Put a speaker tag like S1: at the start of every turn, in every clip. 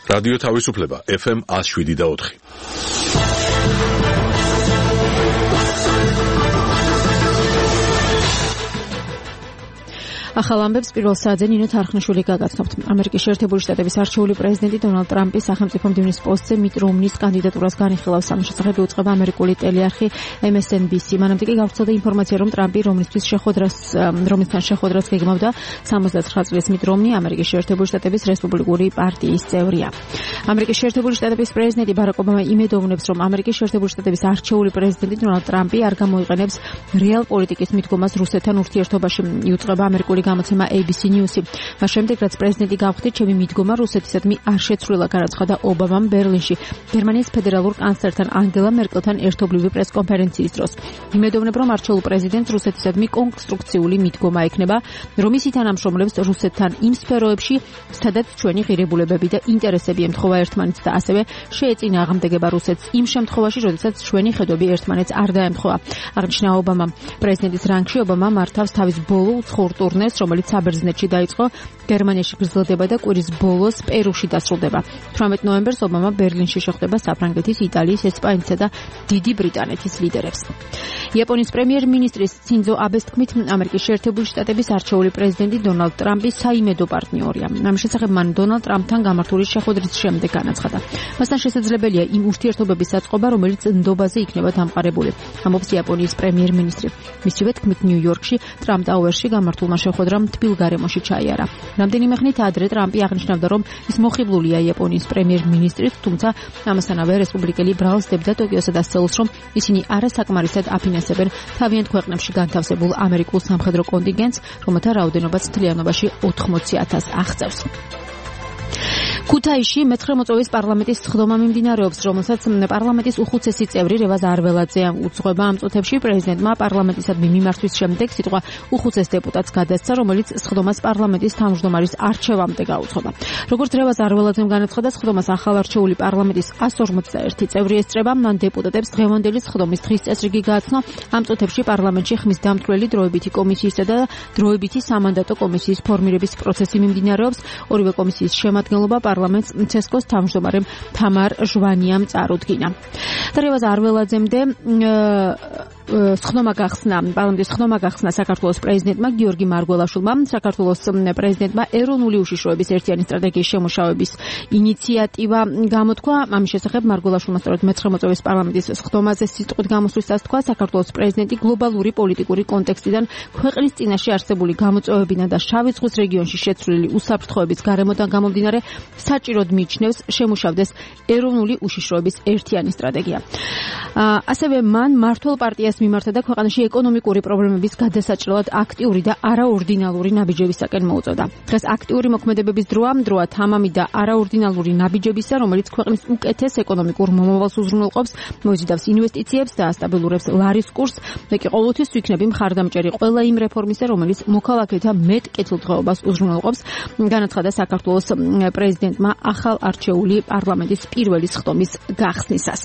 S1: რადიო თავისუფლება FM 107.4.
S2: ახალ ამბებს პირველ საათზე ნინო თარხნიშვილი გაგაცნობთ. ამერიკის შეერთებული შტატების არჩეული პრეზიდენტი დონალდ ტრამპი სახელმწიფო მდივნის პოსტზე მიტ რომნის კანდიდატურას განიხილავს. ამის შესახებ უწყება ამერიკული ტელეარხი MSNBC. მანამდე კი გავრცელდა ინფორმაცია, რომ ტრამპი რომნისთვის რომნისთან შეხვედრას გეგმავდა. 69 წლის მიტ რომნი ამერიკის შეერთებული შტატების რესპუბლიკური პარტიის წევრია. ამერიკის შეერთებული შტატების პრეზიდენტი ბარაკ ობამა იმედოვნებს, რომ ამერიკის შეერთებული შტატების არჩეული პრეზიდენტი დონალდ ტრამპი არ გამოიყენებს რეალ პოლიტიკის მიდგომას რუსეთთან ურთიერთობაში. იუწყება ამერიკული გამოცემა ABC News-ი. მას შემდეგ, რაც პრეზიდენტი გავხდით, ჩემი მიდგომა რუსეთისადმი არ შეცვლილა, განაცხადა ობამამ ბერლინში გერმანიის ფედერალურ კანცლერთან ანგელა მერკელთან ერთობლივი პრესკონფერენციის დროს. იმედოვნებ, რომ არჩეულ პრეზიდენტს რუსეთისადმი კონსტრუქციული მიდგომა ექნება, რომ ის ითანამშრომლებს რუსეთთან იმ სფეროებში, სადაც ჩვენი ღირებულებები და ინტერესები ემთხვევა ერთმანეთს და ასევე შეეწინა აღმდეგება რუსეთს იმ შემთხვევაში, როდესაც ჩვენი ხედვები ერთმანეთს არ დაემთხვევა. აღნიშნა ობამამ. პრეზიდენტის რანგში ობამა მართავს თავის ბოლო უცხოურ ტურნეს, რომელიც საბერძნეთში დაიწყო, გერმანიაში გრძელდება და კვირის ბოლოს პერუში დასრულდება. 18 ნოემბერს ობამა ბერლინში შეხვდება საფრანგეთის, იტალიის, ესპანეთისა და დიდი ბრიტანეთის ლიდერებს. იაპონიის პრემიერ-მინისტრის სინძო აბეს თქმით, ამერიკის შეერთებული შტატების არჩეული პრეზიდენტი დონალდ ტრამპი საიმედო პარტნიორია. ამის შესახებ მან დონალდ ტრამპთან გამართული შეხვედრის შემდეგ განაცხადა. მასთან შესაძლებელია იმ ურთიერთობების აწყობა, რომელიც ნდობაზე იქნება დამყარებული, ამბობს იაპონიის პრემიერ-მინისტრი. მისივე თქმით, ნიუ-იორკში ტრამპ ტაუერში გამართულმა შეხვედრამ თბილ გარემოში ჩაიარა. რამდენიმე ხნით ადრე ტრამპი აღნიშნავდა, რომ ის მოხიბლულია იაპონიის პრემიერ-მინისტრით, თუმცა ამასთანავე რესპუბლიკელი ბრალსდებდა ტოკიოსა და სეულს, რომ ისინი არასაკმარისად აფინანსებენ თავიანთ ქვეყნებში განთავსებულ ამერიკულ სამხედრო კონტინგენტს, რომელთა რაოდენობაც მთლიანობაში 80,000 აღწევს. ქუთაისში მე-9 მოწვევის პარლამენტის სხდომა მიმდინარეობს, რომელსაც პარლამენტის უხუცესი წევრი რევაზ არველაძე უძღვება. ამ წუთებში პრეზიდენტმა პარლამენტისადმი მიმართვის შემდეგ სიტყვა უხუცეს დეპუტატს გადასცა, რომელიც სხდომას პარლამენტის თავმჯდომარის არჩევამდე გაუძღვება. როგორც რევაზ არველაძემ განაცხადა, სხდომას ახალარჩეული პარლამენტის 151 წევრი ესწრება. მან დეპუტატებს დღევანდელი სხდომის დღის წესრიგი გააცნო. ამ წუთებში პარლამენტში ხმის დამცვლელი დროებითი კომისიისა და დროებითი სამანდატო კომისიის ფორმირების პროცესი მიმდინარეობს. ორივე კომისიის შემადგენლობა პარლამენტს ცესკოს თავმჯდომარემ თამარ ჟვანიამ წარუდგინა. რევაზ არველაძემდე პარლამენტის სხდომა გახსნა საქართველოს პრეზიდენტმა გიორგი მარგველაშვილმა. საქართველოს პრეზიდენტმა ეროვნული უშიშროების ერთიანი სტრატეგიის შემუშავების ინიციატივა გამოთქვა. ამის შესახებ მარგველაშვილმა სწორედ მე-9 მოწვევის პარლამენტის სხდომაზე სიტყვით გამოსვლისას თქვა, საქართველოს პრეზიდენტი გლობალური პოლიტიკური კონტექსტიდან ქვეყნის წინაშე არსებული გამოწვევებიდან და შავი ზღვის რეგიონში შეცვლილი უსაფრთხოების გარემოდან გამომდინარე საჭიროდ მიიჩნევს შემუშავდეს ეროვნული უშიშროების ერთიანი სტრატეგია. ასევე მან მმართველ პარტიას მიმართა და ქვეყანაში ეკონომიკური პრობლემების გადასაჭრელად აქტიური და არაორდინალური ნაბიჯებისაკენ მოუწოდა. დღეს აქტიური მოქმედებების დროა თამამი და არაორდინალური ნაბიჯებისა, რომელიც ქვეყნის უკეთეს ეკონომიკურ მომავალს უზრუნველყოფს, მოიზიდავს ინვესტიციებს და ასტაბილურებს ლარის კურსს. მე კი ყოველთვის ვიქნები მხარდამჭერი ყველა იმ რეფორმისა, რომელიც მოქალაქეთა მეტ კეთილდღეობას უზრუნველყოფს, განაცხადა საქართველოს პრეზიდენტმა ახალ არჩეული პარლამენტის პირველი სხდომის გახსნისას.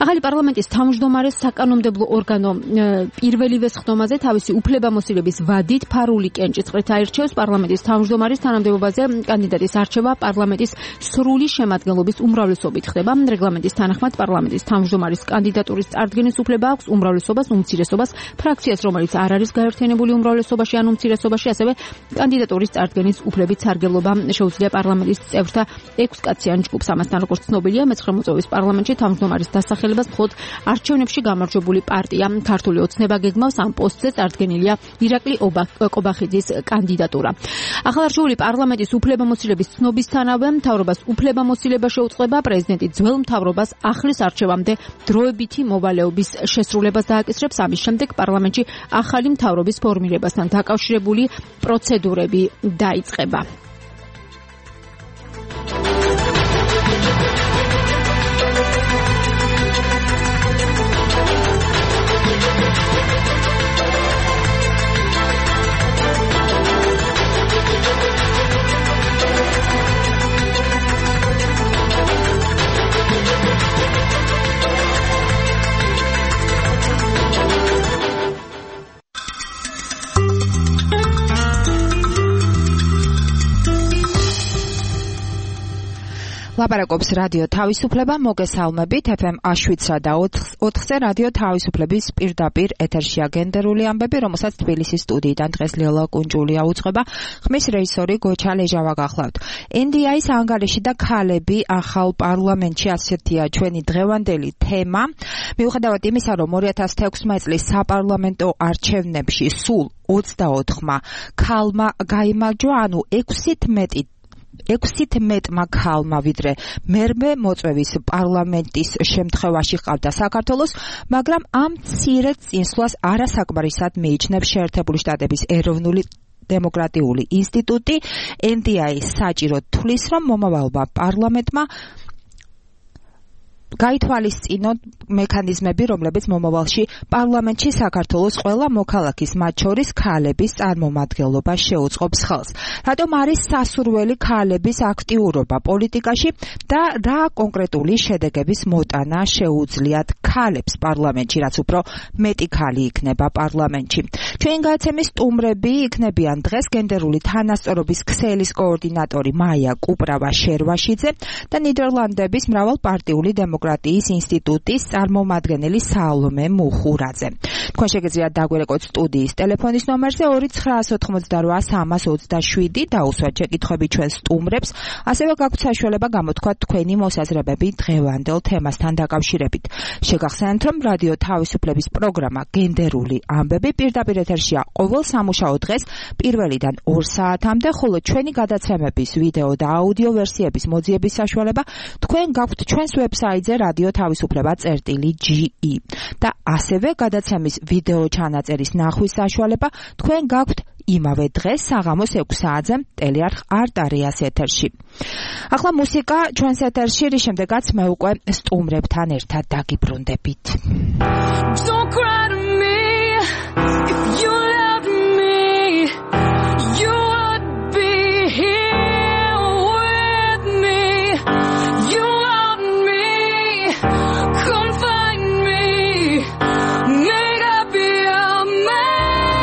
S2: ახალი პარლამენტის თავმჯდომარე საკანონმდებლო ორგანო პირველივე სხდომაზე თავისი უფლებამოსილების ვადით ფარული კენჭისყრით აირჩევს. პარლამენტის თავმჯდომარის თანამდებობაზე კანდიდატის არჩევა პარლამენტის სრული შემადგენლობის უმრავლესობით ხდება. რეგლამენტის თანახმად პარლამენტის თავმჯდომარის კანდიდატურის წარდგენის უფლება აქვს უმრავლესობას, უმცირესობას, ფრაქციას, რომელიც არ არის გაერთიანებული უმრავლესობაში ან უმცირესობაში, ასევე კანდიდატურის წარდგენის უფლებით სარგებლობა შეუძლია პარლამენტის წევრთა 6 კაციან ჯგუფს. ამასთან, როგორც ცნობილია, მე-9 მოწვევის პარლამენტში თავმჯდომარის დასახელებას მხოლოდ არჩევნებში გამარჯვებული პარტია ქართული ოცნება გეგმავს. ამ პოსტზე წარდგენილია ირაკლი კობახიძის კანდიდატურა. ახალარჩეული პარლამენტის უფლებამოსილების ცნობისთანავე მთავრობას უფლებამოსილება შეუწყება. პრეზიდენტი ძველ მთავრობას ახლის არჩევამდე დროებითი მოვალეობის შესრულებას დააკისრებს. ამის შემდეგ პარლამენტში ახალი მთავრობის ფორმირებასთან დაკავშირებული პროცედურები დაიწყება.
S3: ლაპარაკობს რადიო თავისუფლება, მოგესალმებით FM აშვიცრა და 4-ზე რადიო თავისუფლების პირდაპირ ეთერშია გენდერული ამბები, რომელსაც თბილისის სტუდიიდან დღეს ლიოლა კუნჯულია უძღვება. ხმის რეჟისორი გოჩა ლეჟავა გახლავთ. NDI-ის ანგარიში და ქალები ახალ პარლამენტში, ასეთია ჩვენი დღევანდელი თემა. მიუხედავად იმისა, რომ 2016 წლის საპარლამენტო არჩევნებში სულ 24-მა ქალმა გაიმარჯვა, ანუ 6-ით მეტმა ქალმა, ვიდრე მერმე მოწვევის პარლამენტის შემთხვევაში ყავდა საქართველოს, მაგრამ ამ მცირე წინსვლას არასაკმარისად მიიჩნევს შეერთებული შტატების ეროვნული დემოკრატიული ინსტიტუტი. NDI საჭირო თვლის, რომ მომავალმა პარლამენტმა გაითვალისწინოთ მექანიზმები, რომლებიც მომავალში პარლამენტში საქართველოს ყველა მოქალაქის, მათ შორის ქალების წარმომადგენლობას შეუწყობს ხელს. რატომ არის სასურველი ქალების აქტიურობა პოლიტიკაში და რა კონკრეტული შედეგების მოტანა შეუძლიათ ქალებს პარლამენტში, რაც უფრო მეტი ქალი იქნება პარლამენტში. ჩვენი გადაცემის სტუმრები იქნებიან დღეს გენდერული თანასწორობის ქსელის კოორდინატორი მაია კუპრავა-შერვაშიძე და ნიდერლანდების მრავალპარტიული დემოკრატიის ინსტიტუტის წარმომადგენელი სალომე მუხურაძე. თქვენ შეგიძლიათ დაგვერეკოთ სტუდიის ტელეფონის ნომერზე 2988-327 დაუსვათ შეკითხვები ჩვენ სტუმრებს, ასევე გაქვთ საშუალება გამოთქვათ თქვენი მოსაზრებები დღევანდელ თემასთან დაკავშირებით. შეგახსენებთ, რომ რადიო თავისუფლების პროგრამა გენდერული ამბები პირდაპირ ეთერშია ყოველ სამუშაო დღეს 1-დან 2 საათამდე, ხოლო ჩვენი გადაცემების ვიდეო და აუდიო ვერსიების მოძიების საშუალება თქვენ გაქვთ ჩვენს ვებსაიტზე რადიო თავისუფლება.ge და ასევე გადაცემის ვიდეო ჩანაწერის ნახვის საშუალება თქვენ გაქვთ იმავე დღეს საღამოს 6 საათზე ტელეარხ არტარიას ეთერში. ახლა მუსიკა ჩვენს ეთერში, რის შემდეგაც მე უკვე სტუმრებთან ერთად დაგიბრუნდებით. Don't cry to me if you love me, you would be here with me, you want me, come find me, make up your mind.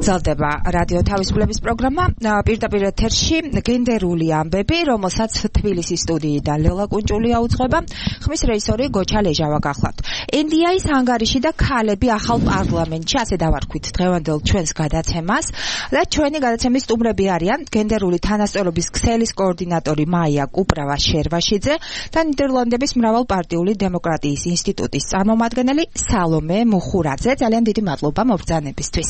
S3: გრძელდება რადიო თავისუფლების პროგრამა პირდაპირ ეთერში გენდერული ამბები, რომელსაც თბილისის სტუდიიდან ლელა კუნჭულია უძღვება, ხმის რეჟისორი გოჩა ლეჟავა გახლავთ. NDI-ის ანგარიში და ქალები ახალ პარლამენტში, ასე დავარქვით დღევანდელ ჩვენს გადაცემას და ჩვენი გადაცემის სტუმრები არიან გენდერული თანასწორობის ქსელის კოორდინატორი მაია კუპრავა-შერვაშიძე და ნიდერლანდების მრავალპარტიული დემოკრატიის ინსტიტუტის წარმომადგენელი სალომე მუხურაძე. ძალიან დიდი მადლობა მობრძანებისთვის.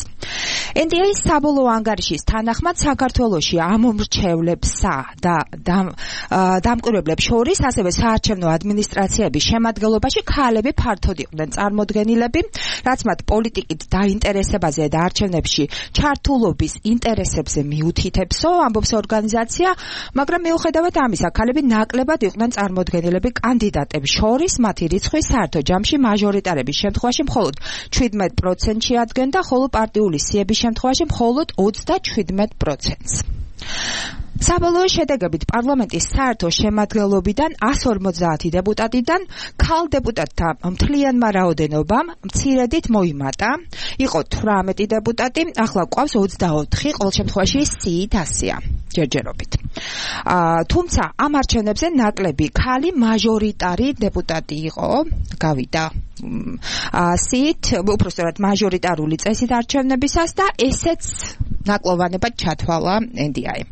S3: NDI-ის საბოლოო ანგარიშის თანახმად საქართველოში ამომრჩევლებსა და დამკვირვებლებს შორის, ასევე საარჩევნო ადმინისტრაციების შემადგენლობაში ქალები ფართოდ იყვნენ წარმოდგენილები, რაც მათ პოლიტიკით დაინტერესებაზე და არჩევნებში ჩართულობის ინტერესებზე მიუთითებსო, ამბობს ორგანიზაცია, მაგრამ მიუხედავად ამისა, ქალები ნაკლებად იყვნენ წარმოდგენილები კანდიდატებს შორის, მათი რიცხვი საერთო ჯამში მაჟორიტარების შემთხვევაში მხოლოდ 17%-ში ადგენდა, ხოლო პარტიული სიების შემთხვევაში მხოლოდ 27%-ს. საბოლოო შედეგებით პარლამენტის საერთო შემადგენლობიდან 150 დეპუტატიდან ქალ დეპუტატთა მთლიანმა რაოდენობამ მცირედით მოიმატა. იყო 18 დეპუტატი, ახლა გვყავს 24, ყოველ შემთხვევაში სიით 100-ია ჯერჯერობით. თუმცა ამ არჩევნებზე ნაკლები ქალი მაჟორიტარი დეპუტატი იყო, გავიდა სიით, უпростоრად მაჟორიტარული წესით არჩევნებისას და ესეც ნაკლოვანებად ჩათვალა NDI-მ.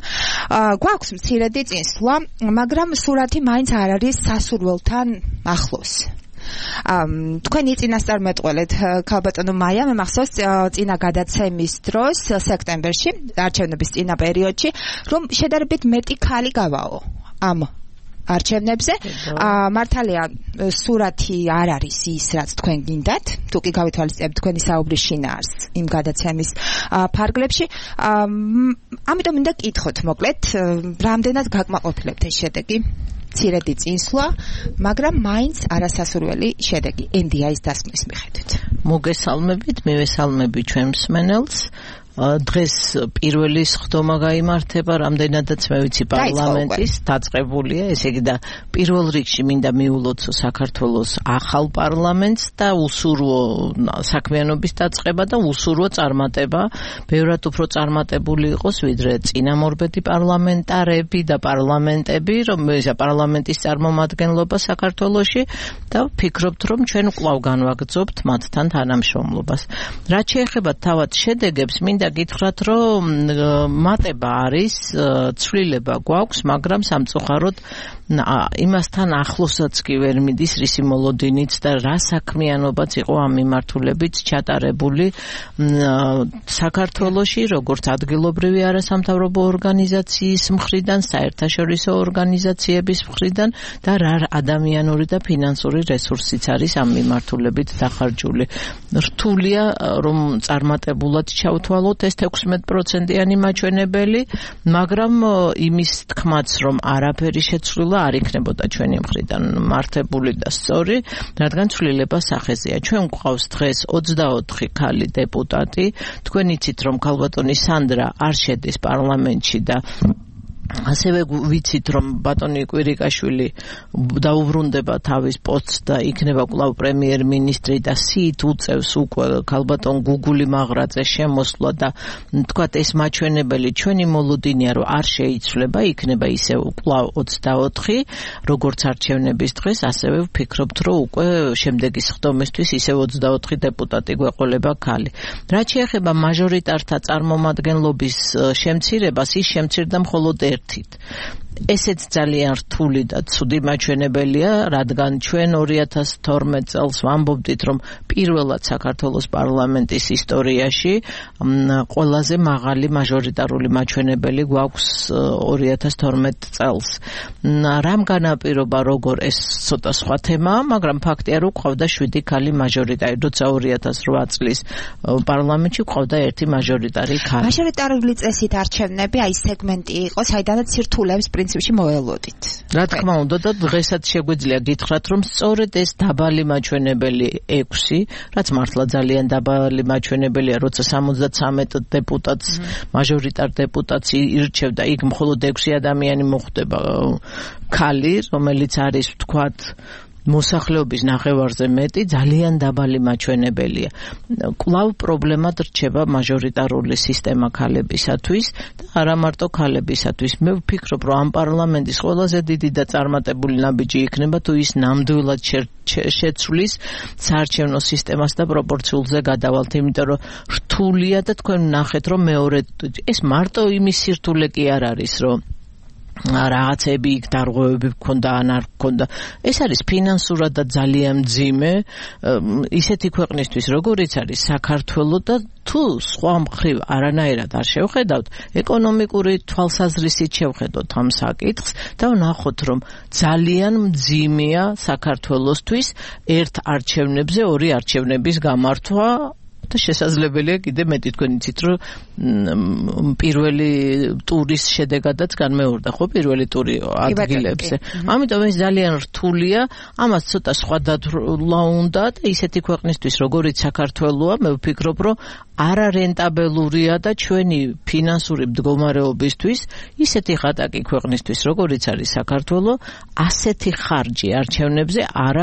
S3: გვაქვს მცირედი წინსვლა, მაგრამ სურათი მაინც არ არის სასურველთან ახლოს. თქვენი წინასწარმეტყველეთ ქალბატონო მაია, მე მახსოვს წინა გადაცემის დროს სექტემბერში, არჩევნების წინა პერიოდში, რომ შედარებით მეტი ქალი გავაო ამ არჩევნებზე. მართალია სურათი არ არის ის, რაც თქვენ გინდათ, თუ კი გავითვალისწინებთ თქვენი საუბრის შინაარს იმ გადაცემის ფარგლებში. ამიტომ მინდა გკითხოთ მოკლედ, რამდენად გაკმაყოფილებთ ეს შედეგი? მცირედი წინსვლა, მაგრამ მაინც არასასურველი შედეგი NDI-ის დასკვნის მიხედვით.
S4: მოგესალმებით, მივესალმები ჩვენ მსმენელს. დღეს პირველი სხდომა გაიმართება, რამდენადაც მე ვიცი პარლამენტის დაწყებულია, ესე იგი და პირველ რიგში მინდა მიულოცო საქართველოს ახალ პარლამენტს და უსურვო საქმიანობის დაწყება და უსურვო წარმატება, ბევრად უფრო წარმატებული იყოს ვიდრე წინამორბედი პარლამენტარები და პარლამენტები, რომელზეა პარლამენტის წარმომადგენლობა საქართველოში და ვფიქრობთ, რომ ჩვენ კვლავ განვაგრძობთ მათთან თანამშრომლობას. რაც შეეხება თავად შედეგებს, მინდა გითხრათ, რომ მატება არის, ცვლილება გვაქვს, მაგრამ სამწუხაროდ იმასთან ახლოსაც კი ვერ მიდის რისი მოლოდინიც და რა საქმიანობაც იყო ამ მიმართულებით ჩატარებული საქართველოში, როგორც ადგილობრივი არასამთავრობო ორგანიზაციის მხრიდან, საერთაშორისო ორგანიზაციების მხრიდან და რა ადამიანური და ფინანსური რესურსიც არის ამ მიმართულებით დახარჯული. რთულია, რომ წარმატებულად ჩავთვალოთ ეს 16%-იანი მაჩვენებელი, მაგრამ იმის თქმაც, რომ არაფერი შეცვლილა არ იქნებოდა ჩვენი მხრიდან მართებული და სწორი, რადგან ცვლილება სახეზეა. ჩვენ გვყავს დღეს 24 ქალი დეპუტატი. თქვენ იცით, რომ ქალბატონი სანდრა არ შედის პარლამენტში და ასევე ვიცით, რომ ბატონი კვირიკაშვილი დაუბრუნდება თავის პოსტს და იქნება კვლავ პრემიერ-მინისტრი და სიით უწევს უკვე ქალბატონ გუგული მაღრაძეს შემოსვლა და თქვათ ეს მაჩვენებელი ჩვენი მოლოდინია, რომ არ შეიცვლება, იქნება ისევ კვლავ 24, როგორც არჩევნების დღეს, ასევე ვფიქრობთ, რომ უკვე შემდეგი სხდომისთვის ისევ 24 დეპუტატი გვეყოლება ქალი. რაც შეეხება მაჟორიტართა წარმომადგენლობის შემცირებას, ის შემცირდა მხოლოდ ერთით. ესეც ძალიან რთული და ცუდი მაჩვენებელია, რადგან ჩვენ 2012 წელს ვამბობდით, რომ პირველად საქართველოს პარლამენტის ისტორიაში ყველაზე მაღალი მაჟორიტარული მაჩვენებელი გვაქვს 2012 წელს. რამ განაპირობა, როგორ ეს ცოტა სხვა თემაა, მაგრამ ფაქტია, რომ ყავდა 7 ქალი მაჟორიტარი, როცა 2008 წლის პარლამენტში ყავდა ერთი მაჟორიტარი ქალი.
S3: მაჟორიტარული წესით არჩევნები აი სეგმენტი იყო, საიდანაც სირთულეებს პრინციპში მოველოდით.
S4: რა თქმა უნდა და დღესაც შეგვიძლია გითხრათ, რომ სწორედ ეს დაბალი მაჩვენებელი 6, რაც მართლა ძალიან დაბალი მაჩვენებელია, როცა 73 დეპუტატს, მაჟორიტარ დეპუტატს ირჩევდა, იქ მხოლოდ 6 ადამიანი მოხვდება ქალი, რომელიც არის ვთქვათ მოსახლეობის ნახევარზე მეტი ძალიან დაბალი მაჩვენებელია. კვლავ პრობლემად რჩება მაჟორიტარული სისტემა ქალებისათვის და არა მარტო ქალებისათვის. მე ვფიქრობ, რომ ამ პარლამენტის ყველაზე დიდი და წარმატებული ნაბიჯი იქნება თუ ის ნამდვილად შეცვლის საარჩევნო სისტემას და პროპორციულზე გადავალთ, იმიტომ რომ რთულია და თქვენ ნახეთ, რომ მეორე ეს მარტო იმის სირთულე კი არ არის, რომ რაღაცები იქ დარღვევები გქონდა ან არ გქონდა. ეს არის ფინანსურად და ძალიან მძიმე ისეთი ქვეყნისთვის, როგორიც არის საქართველო და თუ სხვა მხრივ არანაირად არ შევხედავთ, ეკონომიკური თვალსაზრისით შევხედოთ ამ საკითხს და ვნახოთ, რომ ძალიან მძიმეა საქართველოსთვის ერთ არჩევნებზე ორი არჩევნების გამართვა და შესაძლებელია კიდე მეტი. თქვენ იცით, რომ პირველი ტურის შედეგადაც განმეორდა ხო პირველი ტური ადგილებზე. ამიტომ ეს ძალიან რთულია, ამას ცოტა სხვადასხვა უნდა და ისეთი ქვეყნისთვის, როგორიც საქართველოა, მე ვფიქრობ, რომ არარენტაბელურია და ჩვენი ფინანსური მდგომარეობისთვის ისეთი ხატაკი ქვეყნისთვის, როგორიც არის საქართველო, ასეთი ხარჯი არჩევნებზე არ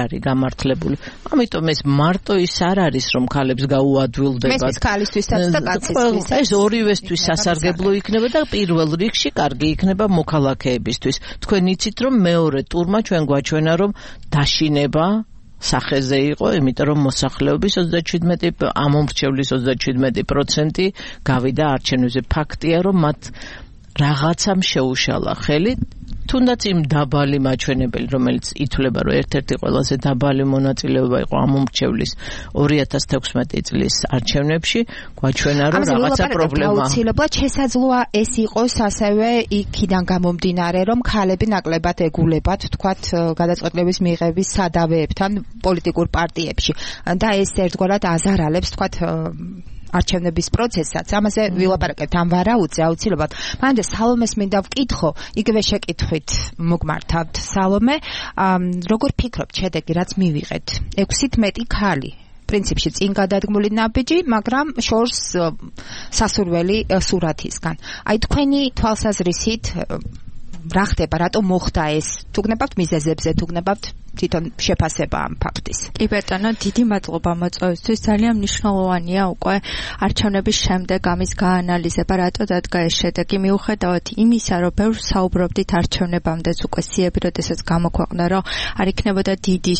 S4: არის გამართლებული. ამიტომ ეს მარტო ის არ არის, რომ ქალებს გაუადვილდება.
S3: მესმის ქალისთვისაც და კაცისთვისაც.
S4: ეს ორივესთვის სასარგებლო იქნება და პირველ რიგში კარგი იქნება მოქალაქეებისთვის. თქვენ იცით, რომ მეორე ტურმა ჩვენ გვაჩვენა, რომ დაშინება სახეზე იყო, იმიტომ რომ მოსახლეობის 37 ამომრჩევლის 37% გავიდა არჩევნებზე. ფაქტია, რომ მათ რაღაცამ შეუშალა ხელი, თუნდაც იმ დაბალი მაჩვენებელი, რომელიც ითვლება, რომ ერთ-ერთი ყველაზე დაბალი მონაწილეობა იყო ამომრჩევლის 2016 წლის არჩევნებში, გვაჩვენა, რომ რაღაცა პრობლემაა.
S3: აუცილებლად შესაძლოა ეს იყოს ასევე იქიდან გამომდინარე, რომ ქალები ნაკლებად ეგულებათ, თქვათ, გადაწყვეტილების მიღების სადავეებთან პოლიტიკურ პარტიებში და ეს ერთგვარად აზარალებს, თქვათ, არჩევნების პროცესსაც. ამაზე ვილაპარაკებთ ამ ვარაუდზე აუცილებლად. მანდა სალომეს მინდა ვკითხო, იგივე შეკითხვით მოგმართავთ. სალომე, როგორ ფიქრობთ შედეგი, რაც მივიღეთ? 6-ით მეტი ქალი. პრინციპში წინ გადადგმული ნაბიჯი, მაგრამ შორს სასურველი სურათისგან. აი თქვენი თვალსაზრისით რა ხდება, რატომ მოხდა ეს? თუ გნებავთ მიზეზებზე, თუ გნებავთ თვითონ შეფასება ამ ფაქტის.
S5: კი ბატონო, დიდი მადლობა მოწვევისთვის. ძალიან მნიშვნელოვანია უკვე არჩევნების შემდეგ ამის გაანალიზება, რატო დადგა ეს შედეგი, მიუხედავად იმისა, რომ ბევრ საუბრობდით არჩევნებამდეც უკვე სიები, როდესაც გამოქვეყნდა, რომ არ იქნებოდა დიდი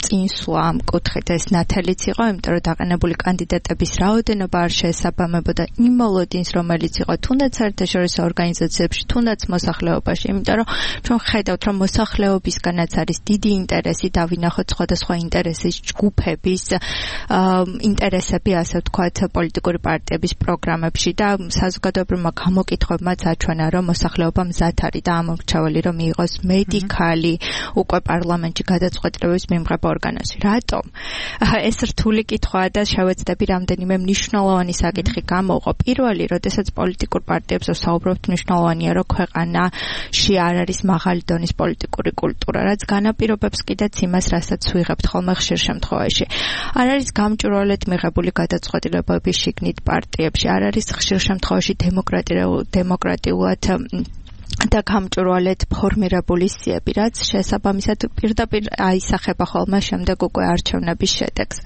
S5: წინსვლა ამ კუთხით, ეს ნათელიც იყო, იმიტომ რომ დაყენებული კანდიდატების რაოდენობა არ შეესაბამებოდა იმ მოლოდინს, რომელიც იყო თუნდაც საერთაშორისო ორგანიზაციებში, თუნდაც მოსახლეობაში, იმიტომ რომ ჩვენ ხედავთ, რომ მოსახლეობისგანაც არის დიდი ინტერესი დავინახოთ სხვადასხვა ინტერესის ჯგუფების ინტერესები, ასე ვთქვათ, პოლიტიკური პარტიების პროგრამებში და საზოგადოებრივმა გამოკითხვებმაც აჩვენა, რომ მოსახლეობა მზად არის და ამორჩეველი, რომ მიიღოს მეტი ქალი უკვე პარლამენტში გადაწყვეტილების მიმღებ ორგანოში. რატომ? ეს რთული კითხვაა და შევეცდები რამდენიმე მნიშვნელოვანი საკითხი გამოვყო. პირველი, როდესაც პოლიტიკურ პარტიებს ვსაუბრობთ, მნიშვნელოვანია, რომ ქვეყანაში არ არის მაღალი დონის პოლიტიკური კულტურა, რაც განაპირობებს კიდეც იმას, რასაც ვიღებთ ხოლმე ხშირ შემთხვევაში. არ არის გამჭვირვალედ მიღებული გადაწყვეტილებები შიგნით პარტიებში, არ არის ხშირ შემთხვევაში დემოკრატიულად და გამჭვირვალედ ფორმირებული სიები, რაც შესაბამისად პირდაპირ აისახება ხოლმე შემდეგ უკვე არჩევნების შედეგს.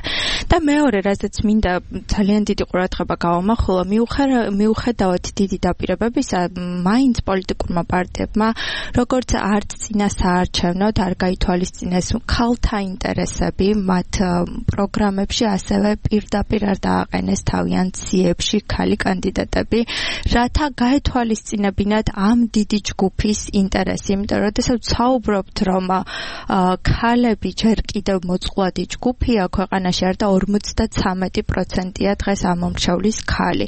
S5: და მეორე, რაზეც მინდა ძალიან დიდი ყურადღება გავამახვილო, მიუხედავად დიდი დაპირებებისა, მაინც პოლიტიკურმა პარტიებმა, როგორც არც წინა საარჩევნოდ არ გაითვალისწინეს ქალთა ინტერესები მათ პროგრამებში, ასევე პირდაპირ არ დააყენეს თავიანთ სიებში ქალი კანდიდატები, რათა გაეთვალისწინებინათ ამ დიდი ჯგუფის ინტერესი, იმიტომ რომ როდესაც საუბრობთ, რომ ქალები ჯერ კიდევ მოწყვლადი ჯგუფია ქვეყანაში, არ და 53%-ია დღეს ამომრჩევლის ქალი.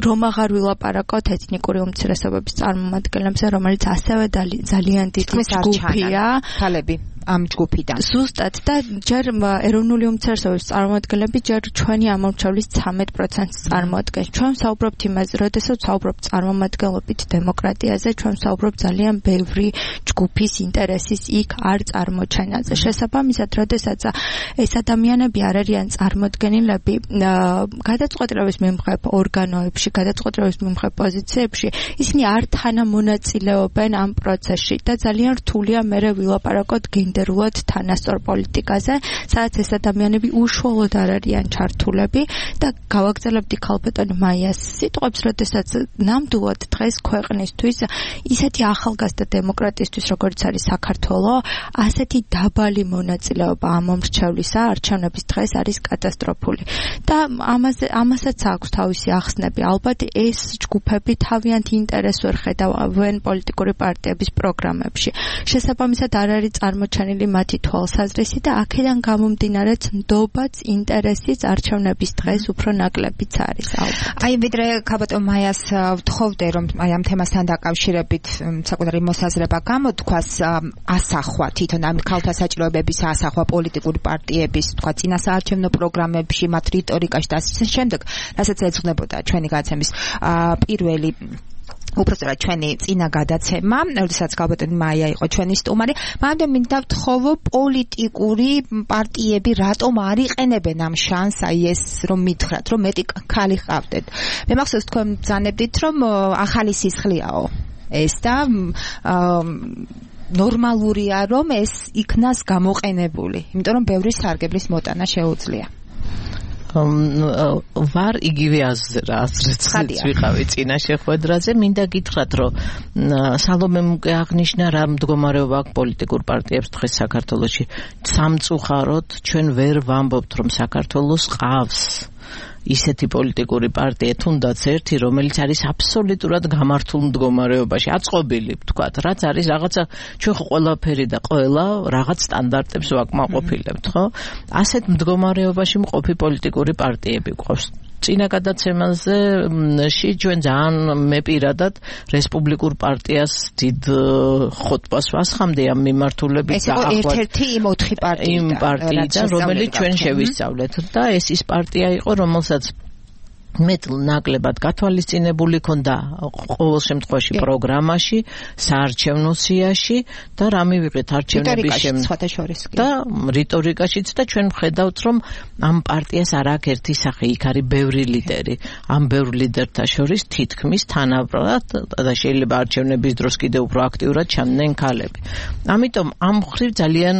S5: რომ აღარ ვილაპარაკოთ ეთნიკური უმცირესობების წარმომადგენლებზე, რომელიც ასევე ძალიან დიდი ჯგუფია.
S3: ქალები ამ ჯგუფიდან.
S5: ზუსტად და ჯერ ეროვნული უმცირესობების წარმომადგენლები ჯერ ჩვენი ამომრჩევლის 13%-ს წარმოადგენს. ჩვენ ვსაუბრობთ იმაზე, როდესაც ვსაუბრობთ წარმომადგენლობით დემოკრატიაზე, ჩვენ ვსაუბრობთ ძალიან ბევრი ჯგუფის ინტერესის იქ არ წარმოჩენაზე. შესაბამისად, როდესაც ეს ადამიანები არ არიან წარმოდგენილები გადაწყვეტილების მიმღებ ორგანოებში, გადაწყვეტილების მიმღებ პოზიციებში, ისინი არ თანამონაწილეობენ ამ პროცესში და ძალიან რთულია მერე ვილაპარაკოთ გენდერულად თანასწორ პოლიტიკაზე, სადაც ეს ადამიანები უშუალოდ არ არიან ჩართულები და გავაგრძელებდი ქალბატონ მაიას სიტყვებს, როდესაც ნამდვილად დღეს ქვეყნისთვის ისეთი ახალგაზრდა დემოკრატიისთვის, როგორც არის საქართველო, ასეთი დაბალი მონაწილეობა ამ მომრჩევლისა არჩევნების დღეს არის კატასტროფული. და ამასაც აქვს თავისი ახსნები. ალბათ ეს ჯგუფები თავიანთ ინტერესს ვერ ხედავენ პოლიტიკური პარტიების პროგრამებში. შესაბამისად არ არის წარმოჩენილი მათი თვალსაზრისი და აქედან გამომდინარეც ნდობაც ინტერესიც არჩევნების დღეს უფრო ნაკლებიც არის ალბათ.
S3: აი ვიდრე ქალბატონ მაიას ვთხოვდე რომ აი ამ თემასთან დაკავშირებით საკუთარი მოსაზრება გამოთქვას ასახვა თვითონ ამ ქალთა საჭიროებების ასახვა პოლიტიკური პარტიების თქვა წინასაარჩევნო პროგრამებში მათ რიტორიკაში და ასე შემდეგ რასაც ეძღვნებოდა ჩვენი გადაცემის პირველი უпростоრად ჩვენი წინა გადაცემა, როდესაც ქალბატონი მაია იყო ჩვენი სტუმარი, მაგრამ მინდა ვთხოვო პოლიტიკური პარტიები რატომ არ იყენებენ ამ შანსს, აი ეს რომ მითხრათ, რომ მეტი ქალი ყავდეთ. მე მახსოვს თქვენ ბრძანებდით, რომ ახალი სისხლიაო ეს და ნორმალურია რომ ეს იქნას გამოყენებული, იმიტომ რომ ბევრი სარგებლის მოტანა შეუძლია.
S4: ვარ იგივე აზრიც ვიყავი წინა შეხვედრაზე. მინდა გითხრათ, რომ სალომემ უკვე აღნიშნა რა მდგომარეობა აქვს პოლიტიკურ პარტიებს დღეს საქართველოში. სამწუხაროდ ჩვენ ვერ ვამბობთ, რომ საქართველოს ყავს ისეთი პოლიტიკური პარტია, თუნდაც ერთი, რომელიც არის აბსოლუტურად გამართულ მდგომარეობაში, აწყობილი, ვთქვათ, რაც არის რაღაცა ჩვენ ყველაფერი და ყველა რაღაც სტანდარტებს ვაკმაყოფილებთ, ხო? ასეთ მდგომარეობაში მყოფი პოლიტიკური პარტიები გვყავს. წინა გადაცემაზე ჩვენ ძალიან მე პირადად რესპუბლიკურ პარტიას დიდ ხოტბას ვასხამდი ამ მიმართულებით
S3: და ახლა ერთ-ერთი იმ 4
S4: პარტიიდან, რომელიც ჩვენ შევისწავლეთ და ეს ის პარტია იყო, რომელსაც მეტ ნაკლებად გათვალისწინებული ქონდა ყოველ შემთხვევაში პროგრამაში, საარჩევნო სიაში და რა მივიღეთ არჩევნების
S3: შემდგომ
S4: და რიტორიკაშიც და ჩვენ ვხედავთ, რომ ამ პარტიას არ აქვს ერთი სახე, იქ არის ბევრი ლიდერი. ამ ბევრ ლიდერთა შორის თითქმის თანაბრად და შეიძლება არჩევნების დროს კიდევ უფრო აქტიურად ჩანდნენ ქალები. ამიტომ ამ მხრივ ძალიან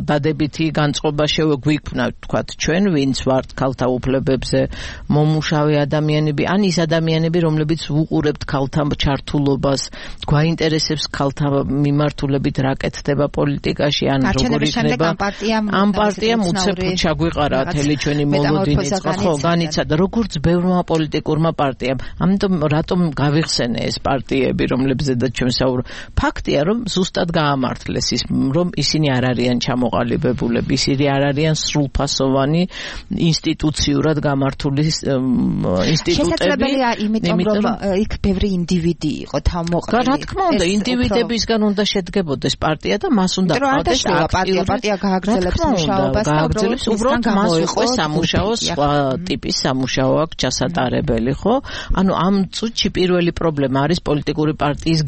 S4: დადებითი განწყობა შეგვიქმნა, თქვათ, ჩვენ ვინც ვართ ქალთა უფლებებზე მომუშავე ადამიანები, ან ის ადამიანები, რომლებიც ვუყურებთ ქალთა ჩართულობას, გვაინტერესებს ქალთა მიმართულებით რა კეთდება პოლიტიკაში, ან როგორ იქნება ამ პარტიამ უცებ ჩაგვიყარა თელი ჩვენი მოლოდინი, ხო, განიცადა როგორც ბევრმა პოლიტიკურმა პარტიამ. ამიტომ რატომ გავიხსენე ეს პარტიები, რომლებზედაც ჩვენ საუბრობთ? ფაქტია, რომ ზუსტად გაამართლეს ის, რომ ისინი არ არიან ჩამოყალიბებულები, ისინი არ არიან სრულფასოვანი ინსტიტუციურად გამართული ინსტიტუტები.
S3: შესაძლებელია, იმიტომ რომ იქ ბევრი ინდივიდი იყო თავმოყრილი.
S4: რა თქმა უნდა, ინდივიდებისგან უნდა შედგებოდეს პარტია და მას უნდა ყავდეს
S3: პარტია გააგრძელებს მუშაობას და
S4: უბრალოდ მას უკვე სამუშაო სხვა ტიპის სამუშაო აქვს ჩასატარებელი, ხო? ანუ ამ წუთში პირველი პრობლემა არის პოლიტიკური პარტიის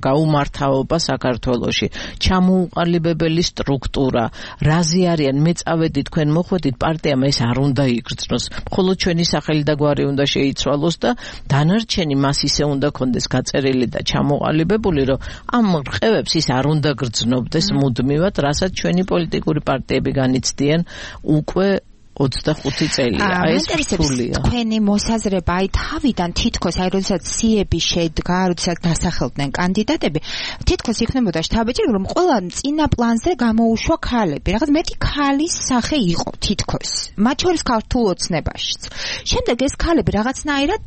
S4: გაუმართავობა საქართველოში. ჩამოუყალიბებელი სტრუქტურა, რაზე არიან, მე წავედი თქვენ მოხვედით, პარტიამ ეს არ უნდა იგრძნოს. მხოლოდ ჩვენი სახელი და გვარი უნდა შეიცვალოს და დანარჩენი მას ისე უნდა კონდეს გაწერილი და ჩამოყალიბებული, რომ ამ რყევებს ის არ უნდა გრძნობდეს მუდმივად, რასაც ჩვენი პოლიტიკური პარტიები განიცდიან უკვე 25 წელია. ეს რთულია.
S3: თქვენი მოსაზრება, აი თავიდან თითქოს, აი როდესაც სიები შედგა, როდესაც დასახელდნენ კანდიდატები, თითქოს იქნებოდა შთაბეჭდილება, რომ ყველა წინა პლანზე გამოუშვა ქალები. რაღაც მეტი ქალის სახე იყო თითქოს. მათ შორის ქართულ ოცნებაშიც. შემდეგ ეს ქალები რაღაცნაირად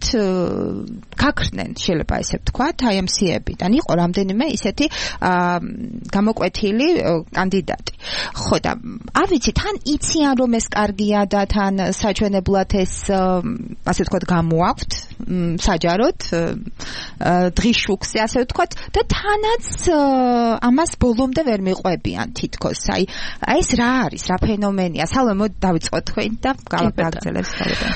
S3: გაქრნენ, შეიძლება ესე ვთქვათ, აი ამ სიებიდან. იყო რამდენიმე ისეთი გამოკვეთილი კანდიდატი. ხო და არ ვიცი, თან იციან რომ ეს კარგია და თან საჩვენებლად ეს ასე ვთქვათ გამოაქვთ საჯაროდ დღის შუქზე ასე ვთქვათ და თანაც ამას ბოლომდე ვერ მიყვებიან თითქოს. აი ეს რა არის, რა ფენომენია? სალომე მოდი დავიწყოთ თქვენ და გავაგრძელებს თავიდან.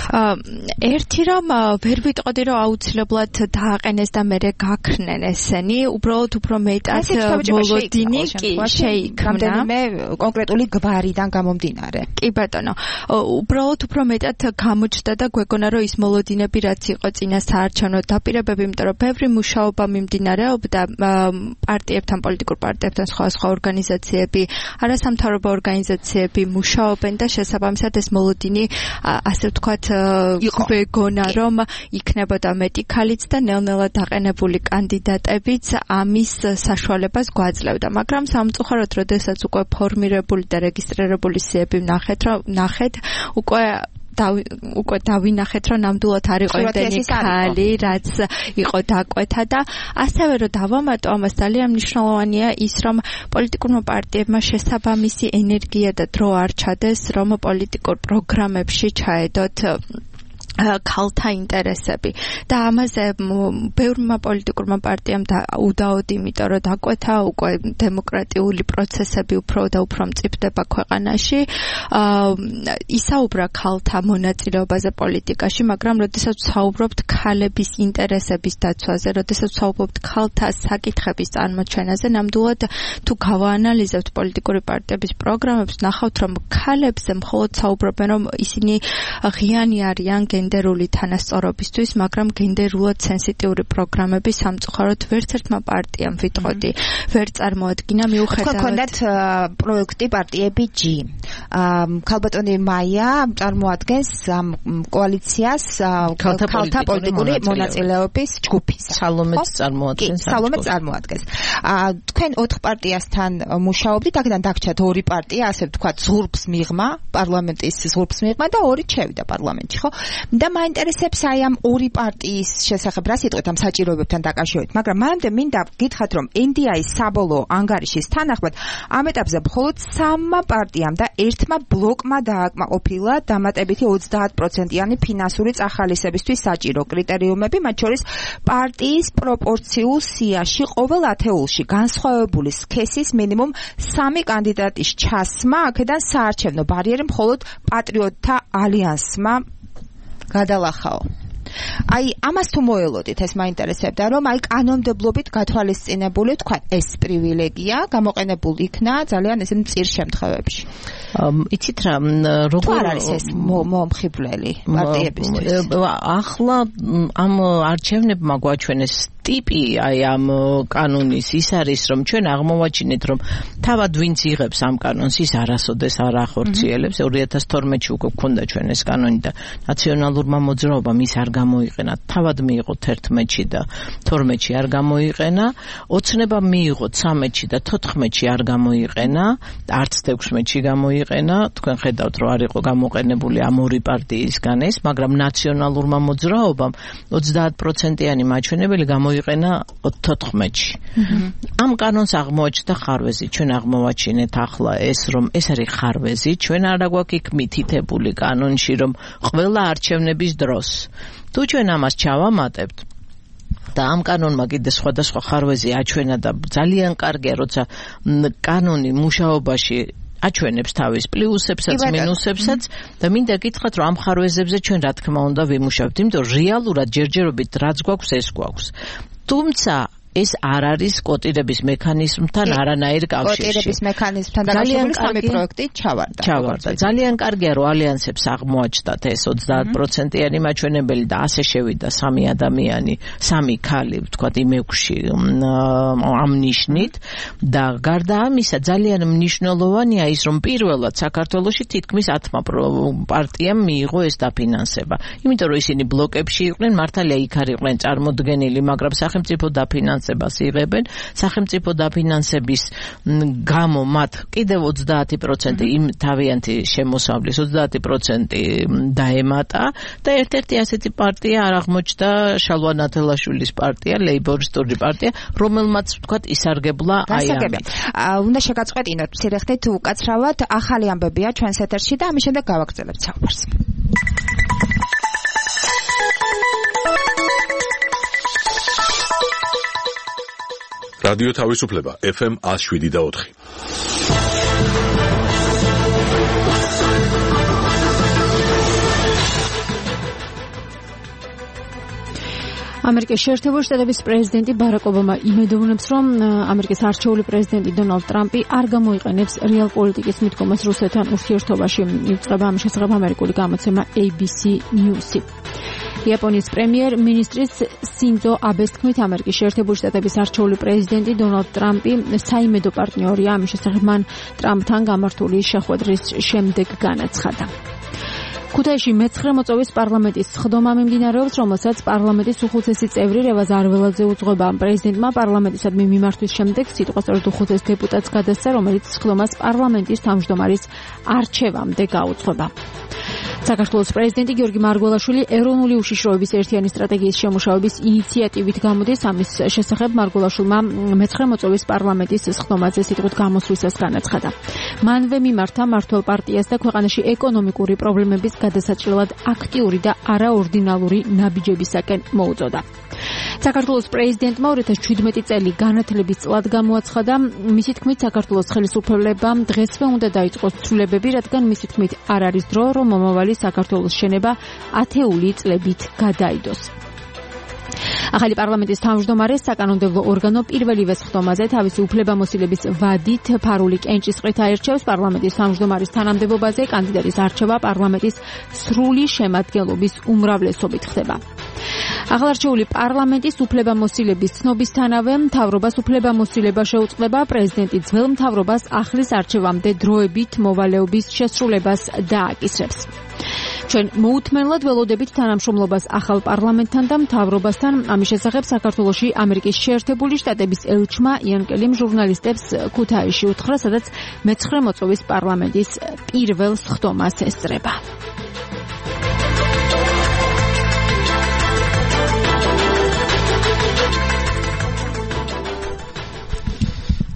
S5: ერთი რომ ვერ ვიტყოდი რომ აუცილებლად დააყენეს და მე გაქრნენ ესენი, უბრალოდ უფრო მეტად მოლოდინი კი შეიქმნა
S3: მე კონკრეტული გვარიდან გამომდინარე.
S5: კი ბატონო, უბრალოდ უფრო მეტად გამოჩნდა და გვეგონა რომ ის მოლოდინები რაც იყო წინა საარჩევნო დაპირებები, იმიტომ რომ ბევრი მუშაობა მიმდინარეობდა პარტიებთან, პოლიტიკურ პარტიებთან, სხვა ორგანიზაციები, არასამთავრობო ორგანიზაციები მუშაობენ და შესაბამისად ეს მოლოდინი ასე ვთქვათ გვეგონა რომ იქნებოდა მეტი ქალიც და ნელ-ნელა დაყენებული კანდიდატებიც ამის საშუალებას გვაძლევდა, მაგრამ სამწუხაროდ როდესაც უკვე ფორმირებული და რეგისტრირებული სიები ნახეთ, უკვე დავინახეთ, რომ ნამდვილად არ იყო იმდენი ქალი, რაც იყო დაკვეთა და ასევე რომ დავამატო ამას ძალიან მნიშვნელოვანია ის, რომ პოლიტიკურმა პარტიებმა შესაბამისი ენერგია და დრო არ ჩადეს, რომ პოლიტიკურ პროგრამებში ჩაედოთ ქალთა ინტერესები და ამაზე ბევრმა პოლიტიკურმა პარტიამ უდაოდ, იმიტომ რომ დაკვეთა უკვე დემოკრატიული პროცესები უფრო და უფრო მწიფდება ქვეყანაში, ისაუბრა ქალთა მონაწილეობაზე პოლიტიკაში, მაგრამ როდესაც ვსაუბრობთ ქალების ინტერესების დაცვაზე, როდესაც ვსაუბრობთ ქალთა საკითხების წარმოჩენაზე, ნამდვილად თუ გავაანალიზებთ პოლიტიკური პარტიების პროგრამებს, ნახავთ, რომ ქალებზე მხოლოდ საუბრობენ, რომ ისინი ღიანი არიან გენდერული თანასწორობისთვის, მაგრამ გენდერულად სენსიტიური პროგრამები სამწუხაროდ ვერც ერთმა პარტიამ ვიტყოდი ვერ წარმოადგინა, მიუხედავად
S3: ჰქონდათ პროექტი პარტიები G. ქალბატონი მაია წარმოადგენს კოალიციას ქალთა პოლიტიკური მონაწილეობის ჯგუფის.
S4: სალომეც წარმოადგენს.
S3: თქვენ 4 პარტიასთან მუშაობდით, აქედან დაგჭათ 2 პარტია, ასე ვთქვათ, ზღურბს მიღმა, პარლამენტის ზღურბს მიღმა და 2 შევიდა პარლამენტში, ხო? და მაინტერესებს აი ამ 2 პარტიის შესახებ რა სიტყვით ამ საჭიროებებთან დაკავშირებით, მაგრამ მანამდე მინდა გითხრათ, რომ NDI-ის საბოლოო ანგარიშის თანახმად ამ ეტაპზე მხოლოდ 3 პარტიამ და 1 ბლოკმა დააკმაყოფილა დამატებითი 30%-იანი ფინანსური წახალისებისთვის საჭირო კრიტერიუმები, მათ შორის პარტიის პროპორციულ სიაში ყოველ ათეულში განსხვავებული სქესის მინიმუმ 3 კანდიდატის ჩასმა, აქედან საარჩევნო ბარიერი მხოლოდ პატრიოტთა ალიანსმა გადალახაო. აი ამას თუ მოელოდით, ეს მაინტერესებდა, რომ აი კანონმდებლობით გათვალისწინებული თქვა ეს პრივილეგია გამოყენებულ იქნა ძალიან ესე მწირ შემთხვევებში.
S4: იცით რა, როგორ
S3: არის ეს მომხიბვლელი პარტიებისთვის?
S4: ახლა ამ არჩევნებმა გვაჩვენეს ტიპი აი ამ კანონის ის არის, რომ ჩვენ აღმოვაჩინეთ, რომ თავად ვინც იღებს ამ კანონს, ის არასოდეს არ ახორციელებს. 2012-ში უკვე გქონდა ჩვენ ეს კანონი და ნაციონალურმა მოძრაობამ ის არ გამოიყენა. თავად მიიღო 11-ში და 12-ში არ გამოიყენა. ოცნება მიიღო 13-ში და 14-ში არ გამოიყენა, არც 16-ში გამოიყენა. თქვენ ხედავთ, რომ არ იყო გამოყენებული ამ 2 პარტიისგან ეს, მაგრამ ნაციონალურმა მოძრაობამ 30%-იანი მაჩვენებელი გამოიყენა 14-ში. ამ კანონს აღმოაჩნდა ხარვეზი. ჩვენ აღმოვაჩინეთ ახლა ეს, რომ ეს არის ხარვეზი. ჩვენ არ აგვაქვს იქ მითითებული კანონში, რომ ყველა არჩევნების დროს თუ ჩვენ ამას ჩავამატებთ და ამ კანონმა კიდე სხვადასხვა ხარვეზი აჩვენა და ძალიან კარგია, როცა კანონი მუშაობაში აჩვენებს თავის პლუსებსაც, მინუსებსაც და მინდა გითხრათ, რომ ამ ხარვეზებზე ჩვენ რა თქმა უნდა ვიმუშავებთ, იმიტომ რომ რეალურად ჯერჯერობით რაც გვაქვს, ეს გვაქვს. თუმცა ეს არ არის კოტირების მექანიზმთან არანაირ კავშირში.
S3: კოტირების მექანიზმთან დაკავშირებული 3 პროექტი ჩავარდა.
S4: ძალიან კარგია, რომ ალიანსებს აღმოაჩნდათ ეს 30%-იანი მაჩვენებელი და ასე შევიდა 3 ადამიანი, 3 ქალი, ვთქვათ, იმექში ამ ნიშნით და გარდა ამისა ძალიან მნიშვნელოვანია ის, რომ პირველად საქართველოში თითქმის 10 პარტიამ მიიღო ეს დაფინანსება. იმიტომ რომ ისინი ბლოკებში იყვნენ, მართალია იქ არ იყვნენ წარმოდგენილი, მაგრამ სახელმწიფო დაფინანსებას იღებენ. სახელმწიფო დაფინანსების გამო მათ კიდევ 30% იმ თავიანთი შემოსავლის 30% დაემატა და ერთ-ერთი ასეთი პარტია არ აღმოჩნდა შალვა ნათელაშვილის პარტია, ლეიბორისტული პარტია, რომელმაც ვთქვათ ისარგებლა აი ამით.
S3: უნდა შეგაწყვეტინოთ მცირე ხნით უკაცრავად, ახალი ამბებია ჩვენს ეთერში და ამის შემდეგ გავაგრძელებთ საუბარს.
S1: რადიო თავისუფლება FM 107.4.
S2: ამერიკის შეერთებული შტატების პრეზიდენტი ბარაკ ობამა იმედოვნებს, რომ ამერიკის არჩეული პრეზიდენტი დონალდ ტრამპი არ გამოიყენებს რეალ პოლიტიკის მიდგომას რუსეთთან ურთიერთობაში. იუწყება ამის შესახებ ამერიკული გამოცემა ABC News-ი. იაპონიის პრემიერ-მინისტრის სინძო აბეს თქმით, ამერიკის შეერთებული შტატების არჩეული პრეზიდენტი დონალდ ტრამპი საიმედო პარტნიორია, ამის შესახებ მან ტრამპთან გამართული შეხვედრის შემდეგ განაცხადა. ქუთაისში მე-9 მოწვევის პარლამენტის სხდომა მიმდინარეობს, რომელსაც პარლამენტის უხუცესი წევრი რევაზ არველაძე უძღვება. პრეზიდენტმა პარლამენტისადმი მიმართვის შემდეგ სიტყვასწორად უხუცეს დეპუტატს გადასცა, რომელიც სხდომას პარლამენტის თავმჯდომარის არჩევამდე გაუძღვება. საქართველოს პრეზიდენტი გიორგი მარგველაშვილი ეროვნული უშიშროების ერთიანი სტრატეგიის შემუშავების ინიციატივით გამოდის. ამის შესახებ მარგველაშვილმა მე-9 მოწვევის პარლამენტის სხდომაზე სიტყვით გამოსვლისას განაცხადა. მანვე მიმართა მმართველ პარტიას და ქვეყანაში ეკონომიკური პრობლემების გადასაჭრელად აქტიური და არაორდინალური ნაბიჯებისაკენ მოუწოდა. საქართველოს პრეზიდენტმა 2017 წელი განათლების წლად გამოაცხადა. მისი თქმით, საქართველოს ხელისუფლებამ დღესვე უნდა დაიწყოს ცვლილებები, რადგან მისი თქმით არ არის დრო, რომ მომავალი საქართველოს შენება ათეული წლებით გადაიდოს. ახალი პარლამენტის თავმჯდომარე საკანონმდებლო ორგანო პირველივე სხდომაზე თავისი უფლებამოსილების ვადით ფარული კენჭისყრით აირჩევს. პარლამენტის თავმჯდომარის თანამდებობაზე კანდიდატის არჩევა პარლამენტის სრული შემადგენლობის უმრავლესობით ხდება. აღარჩეული პარლამენტის უფლებამოსილების ცნობისთანავე მთავრობას უფლებამოსილება შეუწყდება პრეზიდენტი ძველ მთავრობას ახლის არჩევამდე დროებით მოვალეობის შესრულებას დააკისრებს. ჩვენ მოუთმენლად ველოდებით თანამშრომლობას ახალ პარლამენტთან და მთავრობასთან. ამის შესახებ საქართველოში ამერიკის შეერთებული შტატების ელჩმა იან კელიმ ჟურნალისტებს ქუთაისში უთხრა, სადაც მე-9 მოწვევის პარლამენტის პირველ სხდომას ესწრება.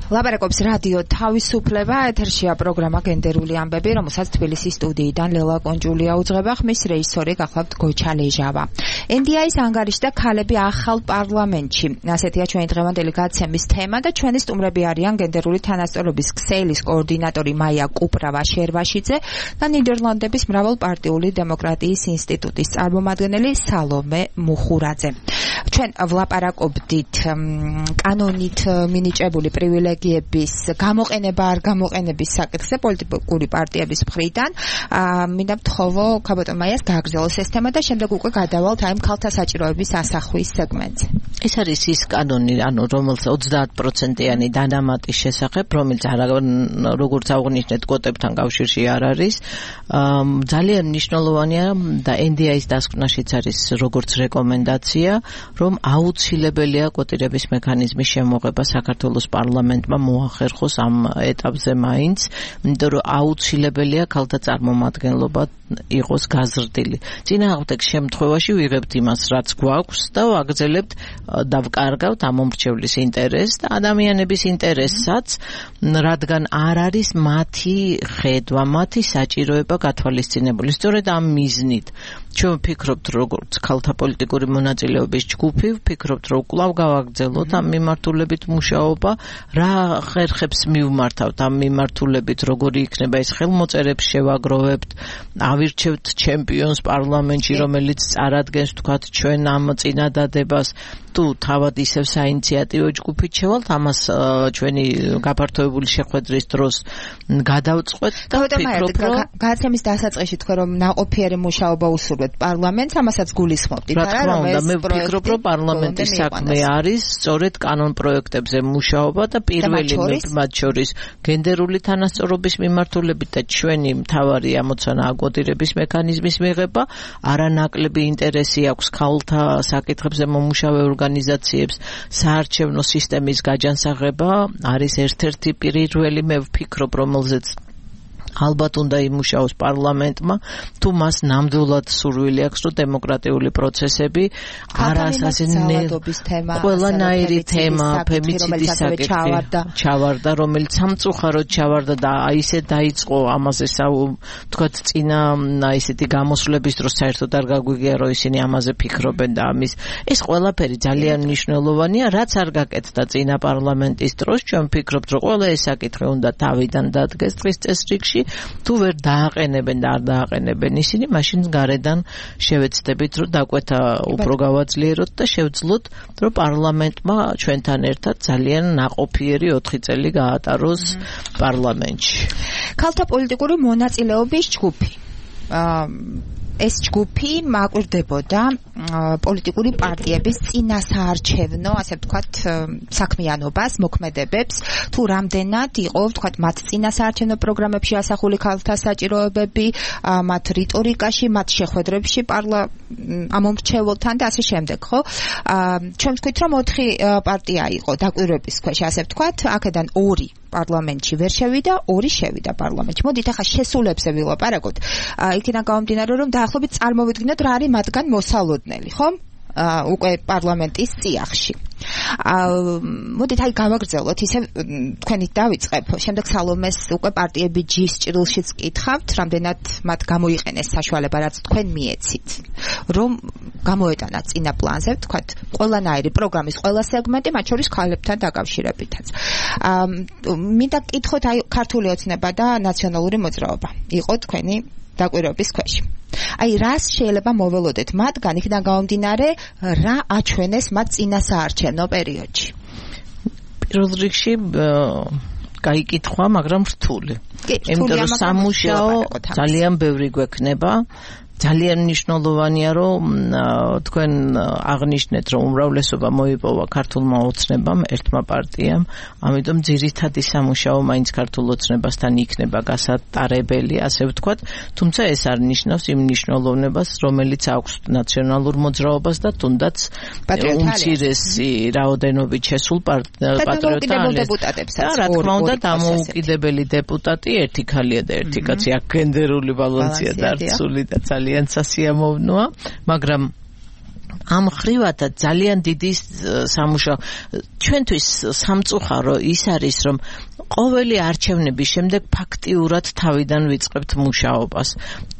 S3: ლაპარაკობს რადიო თავისუფლება, ეთერშია პროგრამა გენდერული ამბები, რომელსაც თბილისის სტუდიიდან ლელა კონჯულია უძღვება, ხმის რეჟისორი გახლავთ გოჩა ლეჟავა. NDI-ის ანგარიშდა ქალები ახალ პარლამენტში. ასეთია ჩვენი დღევანდელი გაცემის თემა და ჩვენი სტუმრები არიან გენდერული თანასწორობის ქსელის კოორდინატორი მაია კუპრავა-შერვაშიძე და ნიდერლანდების მრავალპარტიული დემოკრატიის ინსტიტუტის წარმომადგენელი სალომე მუხურაძე. ჩვენ ვლაპარაკობდით კანონით მინიჭებული პრივილეგიების გამოყენება არ გამოყენების საკითხზე პოლიტიკური პარტიების მხრიდან. მინდა ვთხოვო ქაბატონ მაიას გააგრძელოს ეს თემა და შემდეგ უკვე გადავალთ აი ქალთა საჭიროების ასახვის სეგმენტზე.
S4: ეს არის ის კანონი, ანუ რომელსაც 30%-იანი დანამატის შესახებ, რომელიც როგორც აღნიშნეთ კვოტებთან კავშირში არ არის, ძალიან მნიშვნელოვანია და NDI-ის დასკვნაშიც არის როგორც რეკომენდაცია, რომ აუცილებელია კვოტირების მექანიზმის შემოღება საქართველოს პარლამენტმა მოახერხოს ამ ეტაპზე მაინც, იმიტომ რომ აუცილებელია ქალთა წარმომადგენლობა იყოს გაზრდილი. წინააღმდეგ შემთხვევაში ვიღებთ იმას, რაც გვაქვს და ვაგრძელებთ და ვკარგავთ ამომრჩევლის ინტერესს და ადამიანების ინტერესსაც, რადგან არ არის მათი ხედვა, მათი საჭიროება გათვალისწინებული. სწორედ ამ მიზნით ჩვენ ვფიქრობთ, როგორც ქალთა პოლიტიკური მონაწილეობის ჯგუფი, ვფიქრობთ, რომ კვლავ გავაგრძელოთ ამ მიმართულებით მუშაობა, რა ხერხებს მივმართავთ ამ მიმართულებით, როგორი იქნება ეს ხელმოწერებს შევაგროვებთ, ავირჩევთ ჩემპიონს პარლამენტში, რომელიც წარადგენს თქვათ ჩვენ ამ წინადადებას, თუ თავად ისევ საინიციატივო ჯგუფით შევალთ, ამას ჩვენი გაფართოებული შეხვედრის დროს გადავწყვეტ და ვფიქრობ, რომ
S3: გაცემის დასაწყისში თქვენ რომ ნაყოფიერი მუშაობა უსურვებთ პარლამენტს, ამასაც გულისხმობთ.
S4: რა თქმა უნდა, მე ვფიქრობ, რომ პარლამენტის საქმე არის სწორედ კანონ პროექტებზე მუშაობა და პირველი მათ შორის გენდერული თანასწორობის მიმართულებით და ჩვენი მთავარი ამოცანაა კვოტირების მექანიზმის მიღება. არანაკლები ინტერესი აქვს ქალთა საკითხებზე მომუშავე ორგანიზაციებს საარჩევნო სისტემის გაჯანსაღება არის ერთ-ერთი პირველი, მე ვფიქრობ, რომელზეც ალბათ უნდა იმუშაოს პარლამენტმა, თუ მას ნამდვილად სურვილი აქვს, რომ დემოკრატიული პროცესები ყველანაირი თემა, ფემიციდის საკითხი ჩავარდა, რომელიც სამწუხაროდ ჩავარდა და ისე დაიწყო ამაზე თქვათ წინა ისეთი გამოსვლების დროს საერთოდ არ გაგვიგია, რომ ისინი ამაზე ფიქრობენ და ამის ეს ყველაფერი ძალიან მნიშვნელოვანია, რაც არ გაკეთდა წინა პარლამენტის დროს. ჩვენ ვფიქრობთ, რომ ყველა ეს საკითხი უნდა თავიდან დადგეს დღის წესრიგში. თუ ვერ დააყენებენ და არ დააყენებენ ისინი, მაშინ გარედან შევეცდებით, რომ დაკვეთა უფრო გავაძლიეროთ და შევძლოთ, რომ პარლამენტმა ჩვენთან ერთად ძალიან ნაყოფიერი 4 წელი გაატაროს პარლამენტში.
S3: ქალთა პოლიტიკური მონაწილეობის ჯგუფი. ეს ჯგუფი მაკვირდებოდა პოლიტიკური პარტიების წინასაარჩევნო, ასე ვთქვათ, საქმიანობას, მოქმედებებს, თუ რამდენად იყო, ვთქვათ, მათ წინასაარჩევნო პროგრამებში ასახული ქალთა საჭიროებები, მათ რიტორიკაში, მათ შეხვედრებში ამომრჩეველთან და ასე შემდეგ, ხო? ჩვენ ვთქვით, რომ 4 პარტია იყო დაკვირვების ქვეშ, ასე ვთქვათ, აქედან 2 პარლამენტში ვერ შევიდა, 2 შევიდა პარლამენტში. მოდით ახლა შესულებზე ვილაპარაკოთ. იქიდან გამომდინარე, რომ დაახლოებით წარმოვიდგინოთ რა არის მათგან მოსალოდნელი, ხო? უკვე პარლამენტის წიაღში. მოდით აი გავაგრძელოთ, ისე თქვენით დავიწყებ. შემდეგ სალომეს უკვე პარტიები ჯის ჭრილშიც კითხავთ, რამდენად მათ გამოიყენეს საშუალება, რაც თქვენ მიეცით, რომ გამოეტანათ წინა პლანზე, ვთქვათ, ყველანაირი პროგრამის ყველა სეგმენტი, მათ შორის ქალებთან დაკავშირებითაც. მინდა კითხოთ, აი ქართული ოცნება და ნაციონალური მოძრაობა იყო თქვენი დაკვირვების ქვეშ. აი რას შეიძლება მოველოდეთ მათგან, იქიდან გამომდინარე, რა აჩვენეს მათ წინასაარჩევნო პერიოდში?
S4: პირველ რიგში გაიკითხვა, მაგრამ რთული. იმიტომ რომ სამუშაო ძალიან ბევრი გვექნება. ძალიან მნიშვნელოვანია, რომ თქვენ აღნიშნეთ, რომ უმრავლესობა მოიპოვა ქართულმა ოცნებამ, ერთმა პარტიამ, ამიტომ ძირითადი სამუშაო მაინც ქართულ ოცნებასთან იქნება გასატარებელი, ასე ვთქვათ, თუმცა ეს არ ნიშნავს იმ მნიშვნელოვნებას, რომელიც აქვს ნაციონალურ მოძრაობას და თუნდაც უმცირესი რაოდენობით შესულ პატრიოტებს. რა თქმა უნდა, დამოუკიდებელი დეპუტატი ერთი ქალია და ერთი კაცი, აქ გენდერული ბალანსია დარწმული და ძალიან სასიამოვნოა, მაგრამ ამ ხრივათაც ძალიან დიდი სამუშაო. ჩვენთვის სამწუხარო ის არის, რომ ყოველი არჩევნების შემდეგ ფაქტიურად თავიდან ვიწყებთ მუშაობას.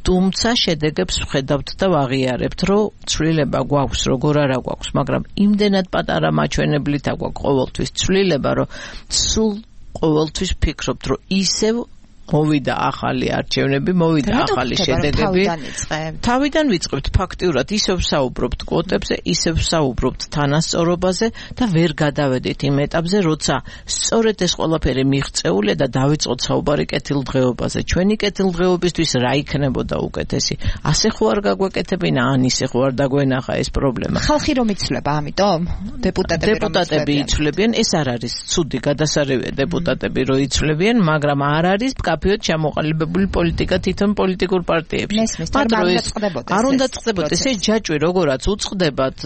S4: თუმცა შედეგებს ვხედავთ და ვაღიარებთ, რომ ცვლილება გვაქვს, როგორ არა გვაქვს, მაგრამ იმდენად პატარა მაჩვენებლით აგვაქვს ყოველთვის ცვლილება, რომ სულ ყოველთვის ფიქრობთ, რომ ისევ მოვიდა ახალი არჩევნები, მოვიდა ახალი შედეგები. თავიდან ვიწყებთ ფაქტიურად, ისევ ვსაუბრობთ კვოტებზე, ისევ ვსაუბრობთ თანასწორობაზე და ვერ გადავედით იმ ეტაპზე, როცა სწორედ ეს ყველაფერი მიღწეულია და დავიწყოთ საუბარი კეთილდღეობაზე. ჩვენი კეთილდღეობისთვის რა იქნებოდა უკეთესი? ასე ხო არ გაგვეკეთებინა, ან ისე ხო არ დაგვენახა ეს პრობლემა?
S3: ხალხი რომ იცვლება, ამიტომ
S4: დეპუტატები იცვლებიან, ეს არ არის ცუდი გადასარევია დეპუტატები რო იცვლებიან, მაგრამ არ არის კაფეოდ ჩამოყალიბებული პოლიტიკა თვითონ პოლიტიკურ პარტიებში. არ უნდა წყდებოდეს ეს ჯაჭვი, როგორაც უწყდებათ.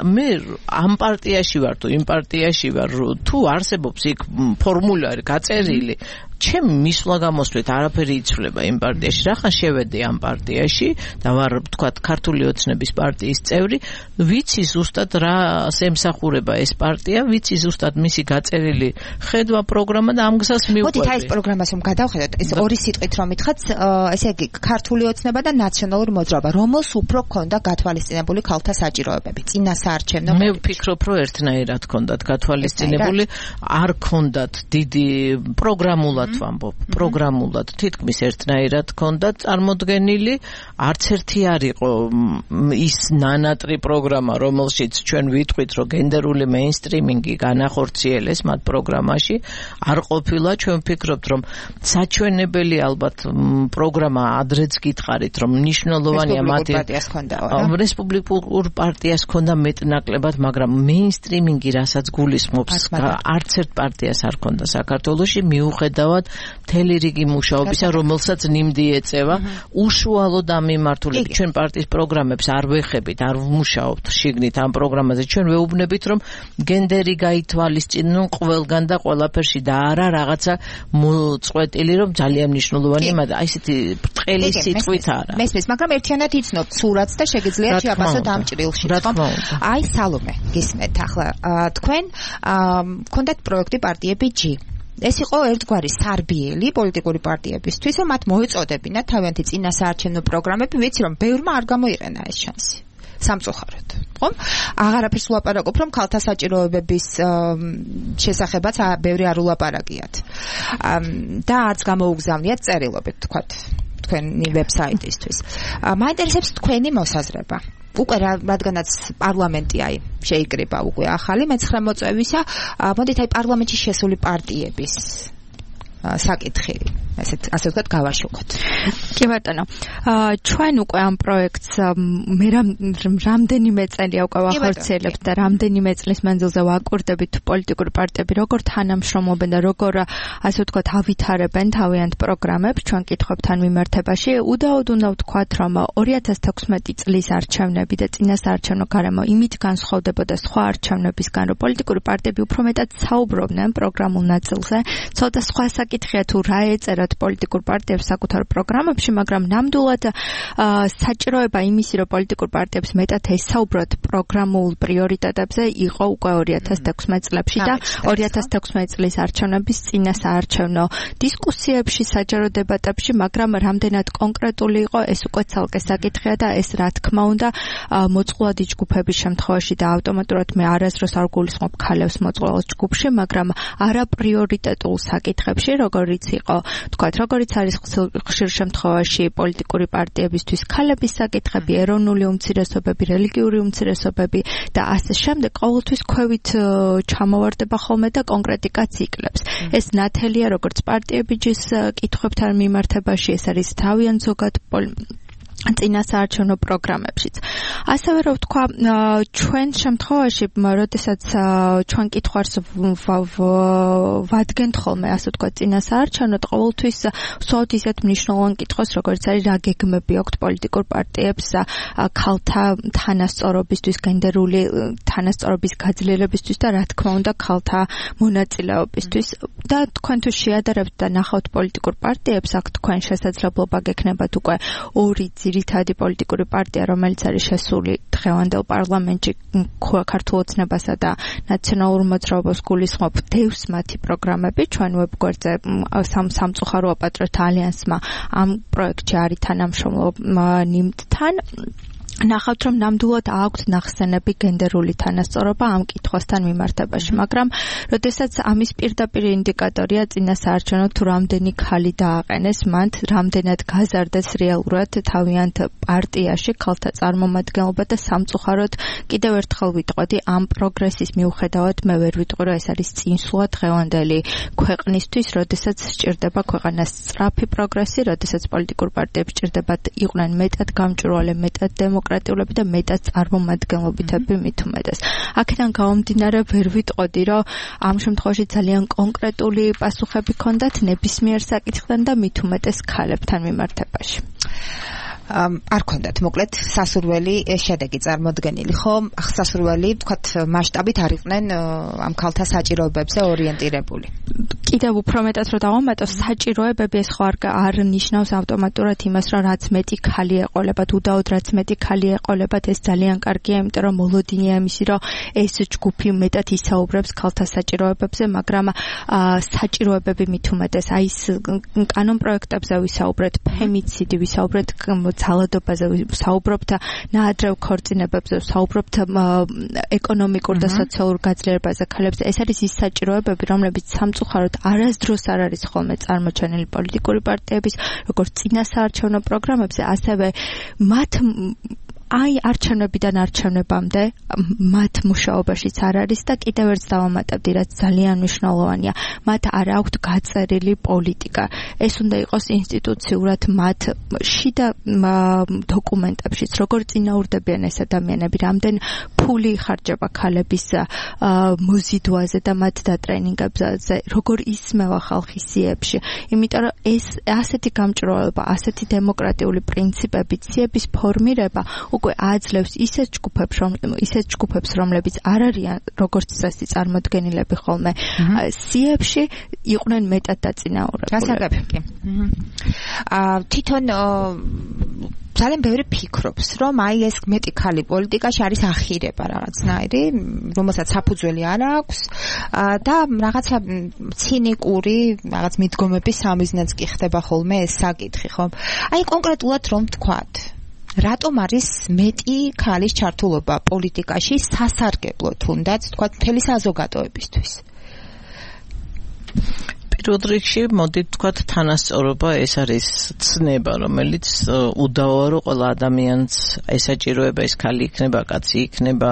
S4: მე ამ პარტიაში ვარ თუ იმ პარტიაში ვარ, თუ არსებობს იქ ფორმულარი გაწერილი, ჩემი მისვლა გამოსვლით არაფერი იცვლება იმ პარტიაში. რახან შევედი ამ პარტიაში და ვარ, ვთქვათ, ქართული ოცნების პარტიის წევრი, ვიცი ზუსტად რას ემსახურება ეს პარტია, ვიცი ზუსტად მისი გაწერილი ხედვა, პროგრამა და ამ გზას მივყვები.
S3: მოდით აი ეს პროგრამას რომ გადავხედოთ, ეს ორი სიტყვით რომ მითხრათ, ესე იგი ქართული ოცნება და ნაციონალური მოძრაობა, რომელს უფრო ქონდა გათვალისწინებული ქალთა საჭიროებები, წინასაარჩევნო.
S4: მე ვფიქრობ, რომ ერთნაირად ქონდათ გათვალისწინებული, არ ქონდათ დიდი პროგრამულად ვამბობ, პროგრამულად თითქმის ერთნაირად ქონდა წარმოდგენილი, არც ერთი არ იყო ის ნანატრი პროგრამა, რომელშიც ჩვენ ვიტყვით, რომ გენდერული მეინსტრიმინგი განახორციელეს მათ პროგრამაში, არ ყოფილა. ჩვენ ვფიქრობთ, რომ საჩვენებელი ალბათ პროგრამა ადრეც გითხარით, რომ მნიშვნელოვანია მათი რესპუბლიკურ პარტიას ქონდა მეტნაკლებად, მაგრამ მეინსტრიმინგი რასაც გულისხმობს, არც ერთ პარტიას არ ქონდა საქართველოში, მიუხედავად მთელი რიგი მუშაობისა, რომელსაც ნიმდი ეწევა, უშუალოდ ამ მიმართულებით. ჩვენ პარტიის პროგრამებს არ ვეხებით, არ ვმუშაობთ შიგნით ამ პროგრამაზე. ჩვენ ვეუბნებით, რომ გენდერი გაითვალისწინონ ყველგან და ყველაფერში და არა რაღაცა მოწყვეტილი, რომ ძალიან მნიშვნელოვანია, მაგრამ აი ესეთი ბრტყელი სიტყვით არა.
S3: მესმის, მაგრამ ერთიანად იცნობთ სურათს და შეგიძლიათ შეაფასოთ ამ ჭრილში. აი სალომე, გისმენთ ახლა თქვენ გქონდათ პროექტი პარტიები G. ეს იყო ერთგვარი სარბიელი პოლიტიკური პარტიებისთვის, რომ მათ მოეწოდებინათ თავიანთი წინასაარჩევნო პროგრამები, ვიცი რომ ბევრმა არ გამოიყენა ეს შანსი. სამწუხაროდ, ხო? აღარაფერს ვლაპარაკობ, რომ ქალთა საჭიროებების შესახებაც ბევრი არ ულაპარაკიათ. და არც გამოუგზავნიათ წერილობით, თქვათ, თქვენი ვებსაიტისთვის. მაინტერესებს თქვენი მოსაზრება. უკვე რადგანაც პარლამენტი აი შეიკრიბა უკვე ახალი მე-9 მოწვევისა, მოდით აი პარლამენტში შესული პარტიების საკითხი ასე ვთქვათ, გავაშუქოთ.
S5: კი ბატონო. ჩვენ უკვე ამ პროექტს მე რამდენიმე წელია უკვე ვახორციელებთ და რამდენიმე წლის მანძილზე ვაკურდებით პოლიტიკური პარტიები როგორ თანამშრომლობენ და როგორ ასე ვთქვათ ავითარებენ თავიანთ პროგრამებს ჩვენ კითხვებთან მიმართებაში. უდაოდ უნდა ვთქვათ, რომ 2016 წლის არჩევნები და წინასაარჩევნო გარემო იმით განსხვავდებოდა სხვა არჩევნებისგან, რომ პოლიტიკური პარტიები უფრო მეტად საუბრობდნენ პროგრამულ ნაწილზე. ცოტა სხვა საკითხია თუ რა ეწერათ პოლიტიკურ პარტიებს საკუთარ პროგრამებში, მაგრამ ნამდვილად საჭიროება იმისი, რომ პოლიტიკურ პარტიებს მეტად ესაუბროთ პროგრამულ პრიორიტეტებზე იყო უკვე 2016 წლებში და 2016 წლის არჩევნების წინასაარჩევნო დისკუსიებში, საჯარო დებატებში, მაგრამ რამდენად კონკრეტული იყო, ეს უკვე ცალკე საკითხია და ეს რა თქმა უნდა მოწყვლადი ჯგუფების შემთხვევაში და ავტომატურად მე არასდროს არ გულისხმობ ქალებს მოწყვლად ჯგუფში, მაგრამ არა პრიორიტეტულ საკითხებში, როგორიც იყო, თქვათ, როგორიც არის ხშირ შემთხვევაში პოლიტიკური პარტიებისთვის ქალების საკითხები, ეროვნული უმცირესობები, რელიგიური უმცირესობები და ასე შემდეგ, ყოველთვის ქვევით ჩამოვარდება ხოლმე და კონკრეტიკაც იკლებს. ეს ნათელია როგორც პარტიებიჯის კითხვებთან მიმართებაში, ეს არის თავიანთ ზოგად წინასაარჩევნო პროგრამებშიც. ასევე რომ ვთქვა, ჩვენ შემთხვევაში, როდესაც ჩვენ კითხვას ვადგენთ ხოლმე, ასე ვთქვა, წინასაარჩევნოდ ყოველთვის ვსვათ ისეთ მნიშვნელოვან კითხვას, როგორც არის რა გეგმები აქვთ პოლიტიკურ პარტიებს ქალთა თანასწორობისთვის, გენდერული თანასწორობის გაძლიერებისთვის და რა თქმა უნდა ქალთა მონაწილეობისთვის. და თქვენ თუ შეადარებთ და ნახავთ პოლიტიკურ პარტიებს, აქ თქვენ შესაძლებლობა გექნებათ უკვე ორი ძირითადი პოლიტიკური პარტია, რომელიც არის შესული დღევანდელ პარლამენტში ქართულ ოცნებასა და ნაციონალურ მოძრაობას გულისხმობ დევს მათი პროგრამები. ჩვენ ვებგვერდზე სამწუხარო აპატრიოტ ალიანსმა ამ პროექტში არის თანამშრომლობა ნიმდთან. ნახავთ, რომ ნამდვილად აქვთ ნახსენები გენდერული თანასწორობა ამ კითხვასთან მიმართებაში, მაგრამ როდესაც ამის პირდაპირ ინდიკატორია წინასაარჩევნო თუ რამდენი ქალი დააყენეს, მათ რამდენად გაზარდეს რეალურად თავიანთ პარტიაში ქალთა წარმომადგენლობა და სამწუხაროდ კიდევ ერთხელ ვიტყოდი, ამ პროგრესის მიუხედავად მე ვერ ვიტყვი, რომ ეს არის წინსვლა დღევანდელი ქვეყნისთვის, როდესაც სჭირდება ქვეყანას სწრაფი პროგრესი, როდესაც პოლიტიკურ პარტიებს სჭირდებათ იყვნენ მეტად გამჭვირვალე, მეტად დემოკრატიული და მეტად წარმომადგენლობითები მით უმეტეს. აქედან გამომდინარე ვერ ვიტყოდი, რომ ამ შემთხვევაში ძალიან კონკრეტული პასუხები ჰქონდათ ნებისმიერ საკითხთან და მით უმეტეს ქალებთან მიმართებაში.
S3: არ ქონდათ მოკლედ სასურველი შედეგი წარმოდგენილი, ხო? სასურველი, თქვათ, მასშტაბით არ იყვნენ ამ ქალთა საჭიროებებზე ორიენტირებული.
S5: კიდევ უფრო მეტად რომ დავამატოს, საჭიროებები ეს ხო არ ნიშნავს ავტომატურად იმას, რომ რაც მეტი ქალი ეყოლებათ, უდაოდ რაც მეტი ქალი ეყოლებათ, ეს ძალიან კარგია, იმიტომ რომ მოლოდინია იმისი, რომ ეს ჯგუფი მეტად ისაუბრებს ქალთა საჭიროებებზე, მაგრამ საჭიროებები მით უმეტეს, აი ეს კანონ პროექტებზე ვისაუბრეთ, ფემიციდი ვისაუბრეთ, ძალადობაზე ვსაუბრობთ, ნაადრევ ქორწინებებზე ვსაუბრობთ, ეკონომიკურ და სოციალურ გაძლიერებაზე ქალებზე. ეს არის ის საჭიროებები, რომლებიც სამწუხაროდ არასდროს არ არის ხოლმე წარმოჩენილი პოლიტიკური პარტიების, როგორც წინასაარჩევნო პროგრამებზე, ასევე მათ აი არჩევნებიდან არჩევნებამდე მათ მუშაობაშიც არ არის და კიდევ ერთ დავამატებდი, რაც ძალიან მნიშვნელოვანია, მათ არ აქვთ გაწერილი პოლიტიკა. ეს უნდა იყოს ინსტიტუციურად მათ შიდა დოკუმენტებშიც, როგორ წინაურდებიან ეს ადამიანები, რამდენ ფული იხარჯება ქალების მოზიდვაზე და მათ დატრენინგებზე, როგორ ისმევა ხალხი სიებში. იმიტომ რომ ეს ასეთი გამჭვირვალება, ასეთი დემოკრატიული პრინციპები, სიების ფორმირება უკვე აძლევს ისეთ ჯგუფებს, რომლებიც არ არიან როგორც წესი წარმოდგენილები ხოლმე სიებში, იყვნენ მეტად დაწინაურებული.
S3: გასაგებია. თვითონ ძალიან ბევრი ფიქრობს, რომ აი ეს მეტი ქალი პოლიტიკაში არის ახირება რაღაცნაირი, რომელსაც საფუძველი არ აქვს და რაღაცა ცინიკური რაღაც მიდგომების სამიზნეც კი ხდება ხოლმე ეს საკითხი, ხო? აი კონკრეტულად რომ ვთქვათ, რატომ არის მეტი ქალის ჩართულობა პოლიტიკაში სასარგებლო თუნდაც თქვა მთელი საზოგადოებისთვის?
S4: პირველ რიგში მოდით თქვა თანასწორობა, ეს არის ცნება, რომელიც უდავოა, რომ ყველა ადამიანს ესაჭიროება, ეს ქალი იქნება, კაცი იქნება,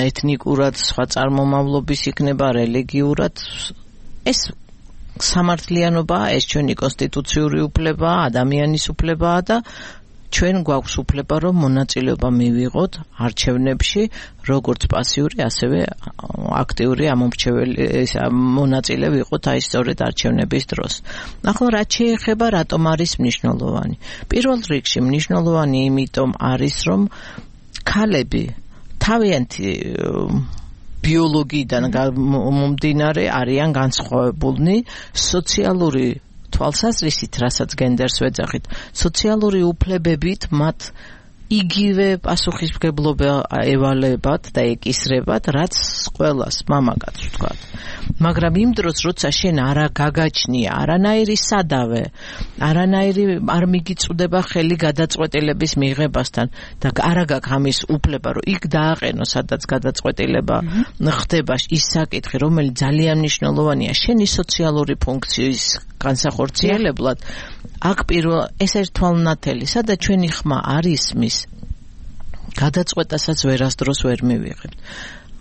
S4: ეთნიკურად, სხვა წარმომავლობის იქნება, რელიგიურად, ეს სამართლიანობაა, ეს ჩვენი კონსტიტუციური უფლებაა, ადამიანის უფლებაა და ჩვენ გვაქვს უფლება რომ მონაწილეობა მივიღოთ არჩევნებში, როგორც პასიური, ასევე აქტიური მონაწილე ვიყოთ აი სწორედ არჩევნების დროს. ახლა რაც შეეხება რატომ არის მნიშვნელოვანი? პირველ რიგში მნიშვნელოვანი იმიტომ არის რომ ქალები თავიანთი ბიოლოგიიდან მომდინარე არიან განსხვავებულნი სოციალური თვალსაზრისით, რასაც გენდერს ვეძახით, სოციალური უფლებებით მათ იგივე პასუხისმგებლობა ევალებათ და ეკისრებათ, რაც ყველას მამაკაც ვთქვათ. მაგრამ იმ დროს, როცა შენ არა გაგაჩნია არანაირი სადავე, არანაირი არ მიგიწვდება ხელი გადაწყვეტილების მიღებასთან და არა გაქვს ამის უფლება, რომ იქ დააყენო, სადაც გადაწყვეტილება ხდება, ის საკითხი, რომელიც ძალიან მნიშვნელოვანია შენი სოციალური ფუნქციის განსახორციელებლად, აქ პირველ ეს ერთვალნათელი, სადაც ჩვენი ხმა არ ისმის, გადაწყვეტასაც ვერასდროს ვერ მივიღებთ.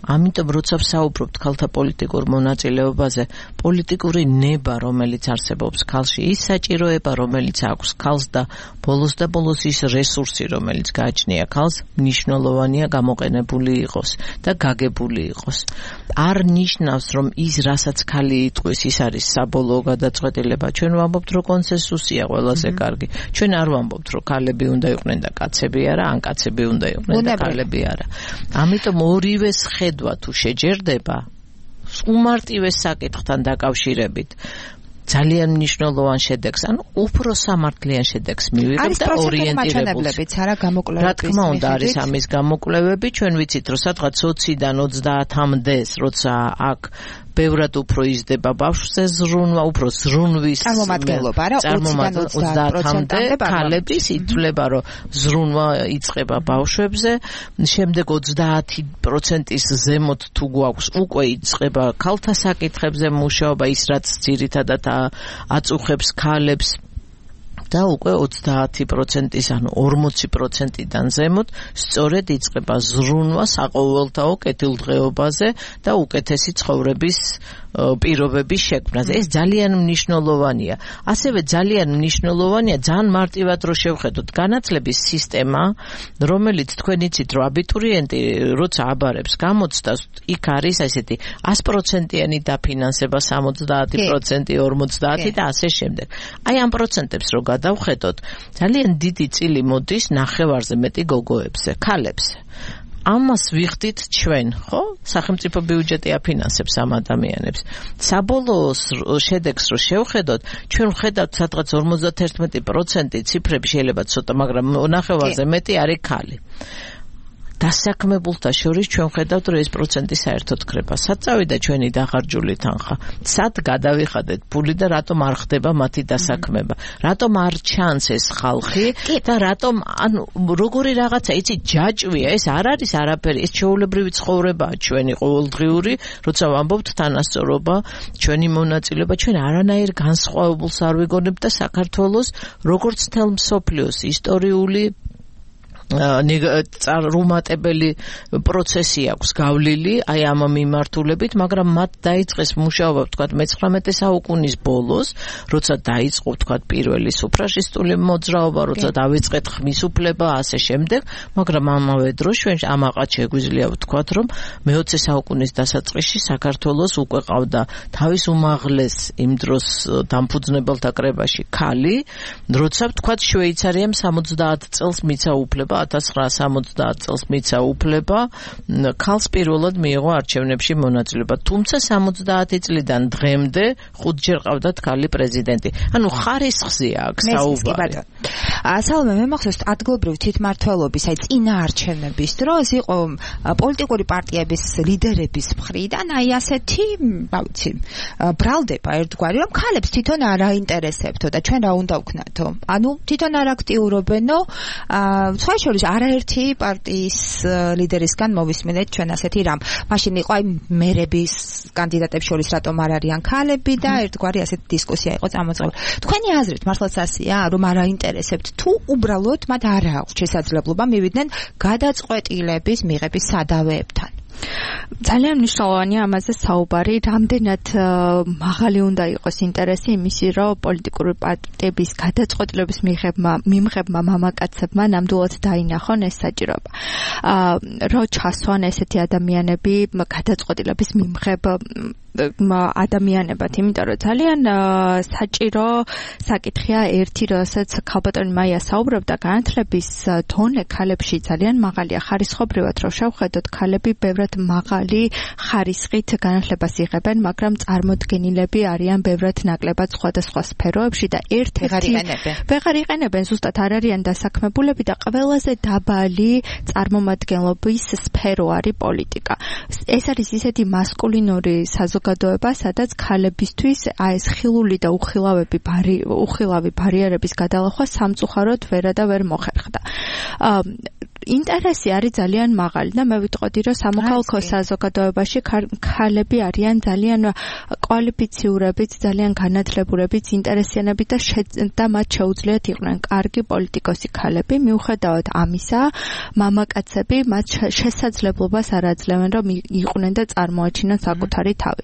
S4: ამიტომ როცა ვსაუბრობთ ქალთა პოლიტიკურ მონაწილეობაზე, პოლიტიკური ნება, რომელიც არსებობს ქალში, ის საჭიროება, რომელიც აქვს ქალს და ბოლოს ის რესურსი, რომელიც გააჩნია ქალს, მნიშვნელოვანია გამოყენებული იყოს და გაგებული იყოს. არ ნიშნავს, რომ ის, რასაც ქალი იტყვის, ის არის საბოლოო გადაწყვეტილება. ჩვენ ვამბობთ, რომ კონსენსუსია ყველაზე კარგი. ჩვენ არ ვამბობთ, რომ ქალები უნდა იყვნენ და კაცები არა, ან კაცები უნდა იყვნენ და ქალები არა. ამიტომ ორივეს ხედვა თუ შეჯერდება უმარტივეს საკითხთან დაკავშირებით ძალიან მნიშვნელოვან შედეგს, ანუ უფრო სამართლიან შედეგს მივიღებთ და ორიენტირებულს. რა თქმა უნდა, არის ამის გამოკვლევები, ჩვენ ვიცით, რომ სადღაც 20-დან 30-მდე, როცა აქ ბევრად უფრო იზრდება ბავშვზე ზრუნვა, უფრო ზრუნვის
S3: წარმომადგენლობა, რა
S4: 30-მდე ქალების ითვლება, რომ ზრუნვა იწყება ბავშვებზე, შემდეგ 30%-ის ზემოთ თუ გვაქვს, უკვე იწყება ქალთა საკითხებზე მუშაობა, ის რაც ძირითადად აწუხებს ქალებს და უკვე 30%-ის, ანუ 40%-დან ზემოთ სწორედ იწყება ზრუნვა საყოველთაო კეთილდღეობაზე და უკეთესი ცხოვრების პირობების შექმნაზე. ეს ძალიან მნიშვნელოვანია. ასევე ძალიან მნიშვნელოვანია, ძალიან მარტივად რო შევხედოთ, განათლების სისტემა, რომელიც თქვენ იცით, რომ აბიტურიენტი როცა აბარებს გამოცდას, იქ არის ესეთი 100%-იანი დაფინანსება, 70%, 50 და ასე შემდეგ. აი ამ პროცენტებს რო გადავხედოთ, ძალიან დიდი წილი მოდის ნახევარზე მეტი გოგოებზე, ქალებზე. ამას ვიხდით ჩვენ, ხო? სახელმწიფო ბიუჯეტი აფინანსებს ამ ადამიანებს. საბოლოო შედეგს რო შევხედოთ, ჩვენ ვხედავთ სადღაც 51% ციფრები შეიძლება ცოტა, მაგრამ ნახევარზე მეტი არის ქალი. დასაქმებულთა შორის ჩვენ ვხედავთ, რომ ეს პროცენტი საერთოდ ქრება. სად წავიდა ჩვენი დახარჯული თანხა? სად გადავიხადეთ ფული და რატომ არ ხდება მათი დასაქმება? რატომ არ ჩანს ეს ხალხი და რატომ, ანუ როგორი რაღაცა, იცი, ჯაჭვია, ეს არ არის არაფერი, ეს ჩვეულებრივი ცხოვრებაა ჩვენი ყოველდღიური, როცა ვამბობთ თანასწორობა, ჩვენი მონაწილეობა, ჩვენ არანაირ განსხვავებულს არ ვიგონებთ და საქართველოს როგორც მთელ მსოფლიოს ისტორიული რუმატებელი პროცესი აქვს გავლილი აი ამ მიმართულებით, მაგრამ მათ დაიწყეს მუშაობა, ვთქვათ, მე-19 საუკუნის ბოლოს, როცა დაიწყო, ვთქვათ, პირველი სუფრაჟისტული მოძრაობა, როცა დავიწყეთ ხმის უფლება, ასე შემდეგ, მაგრამ ამავე დროს ჩვენ ამაყად შეგვიძლია ვთქვათ, რომ მე-20 საუკუნის დასაწყისში საქართველოს უკვე ყავდა თავის უმაღლეს იმ დროს დამფუძნებელთა კრებაში ქალი, როცა ვთქვათ, შვეიცარიამ 70 წელს მიცა უფლება 1970 წელს მიცა უფლება ქალს პირველად მიიღო არჩევნებში მონაწილეობა. თუმცა 70 წლიდან დღემდე 5-ჯერ ყავდათ ქალი პრეზიდენტი. ანუ ხარისხზე აქვს საუბარი.
S3: სალომე, მე მახსოვს ადგილობრივი თვითმმართველობის აი წინა არჩევნების დროს იყო პოლიტიკური პარტიების ლიდერების მხრიდან აი ასეთი, რა ვიცი, ბრალდება ერთგვარი, რომ ქალებს თვითონ არ აინტერესებთო და ჩვენ რა უნდა ვქნათო. ანუ თვითონ არ აქტიურობენო, სხვა შორის არაერთი პარტიის ლიდერისგან მოვისმინეთ ჩვენ ასეთი რამ. მაშინ იყო აი მერების კანდიდატებს შორის რატომ არ არიან ქალები და ერთგვარი ასეთი დისკუსია იყო წამოწყებული. თქვენი აზრით მართლაც ასეა, რომ არ აინტერესებთ თუ უბრალოდ მათ არ აქვს შესაძლებლობა მივიდნენ გადაწყვეტილების მიღების სადავეებთან?
S5: ძალიან მნიშვნელოვანია ამაზე საუბარი, რამდენად მაღალი უნდა იყოს ინტერესი იმისი, რომ პოლიტიკური პარტიების გადაწყვეტილების მიმღებმა მამაკაცებმა ნამდვილად დაინახონ ეს საჭიროება. რო ჩასვან ესეთი ადამიანები გადაწყვეტილების მიმღებ ადამიანებად, იმიტომ რომ ძალიან საჭირო საკითხია ერთი, რასაც ქალბატონი მაია საუბრობდა, განათლების დონე ქალებში ძალიან მაღალია. ხარისხობრივად რო შევხედოთ, ქალები ბევრად მაღალი ხარისხით განათლებას იღებენ, მაგრამ წარმოდგენილები არიან ბევრად ნაკლებად სხვადასხვა სფეროებში და ერთ-ერთი ვეღარ იყენებენ, ზუსტად არ არიან დასაქმებულები და ყველაზე დაბალი წარმომადგენლობის სფერო არის პოლიტიკა. ეს არის ისეთი მასკულინური საზოგადოება, სადაც ქალებისთვის ეს ხილული და უხილავი ბარიერების გადალახვა სამწუხაროდ ვერა და ვერ მოხერხდა. ინტერესი არის ძალიან მაღალი და მე ვიტყოდი, რომ სამოქალაქო საზოგადოებაში ქალები არიან ძალიან კვალიფიციურებით, ძალიან განათლებულებით, ინტერესიანებით და მათ შეუძლიათ იყვნენ კარგი პოლიტიკოსი ქალები. მიუხედავად ამისა, მამაკაცები მათ შესაძლებლობას არ აძლევენ, რომ იყვნენ და წარმოაჩინონ საკუთარი თავი.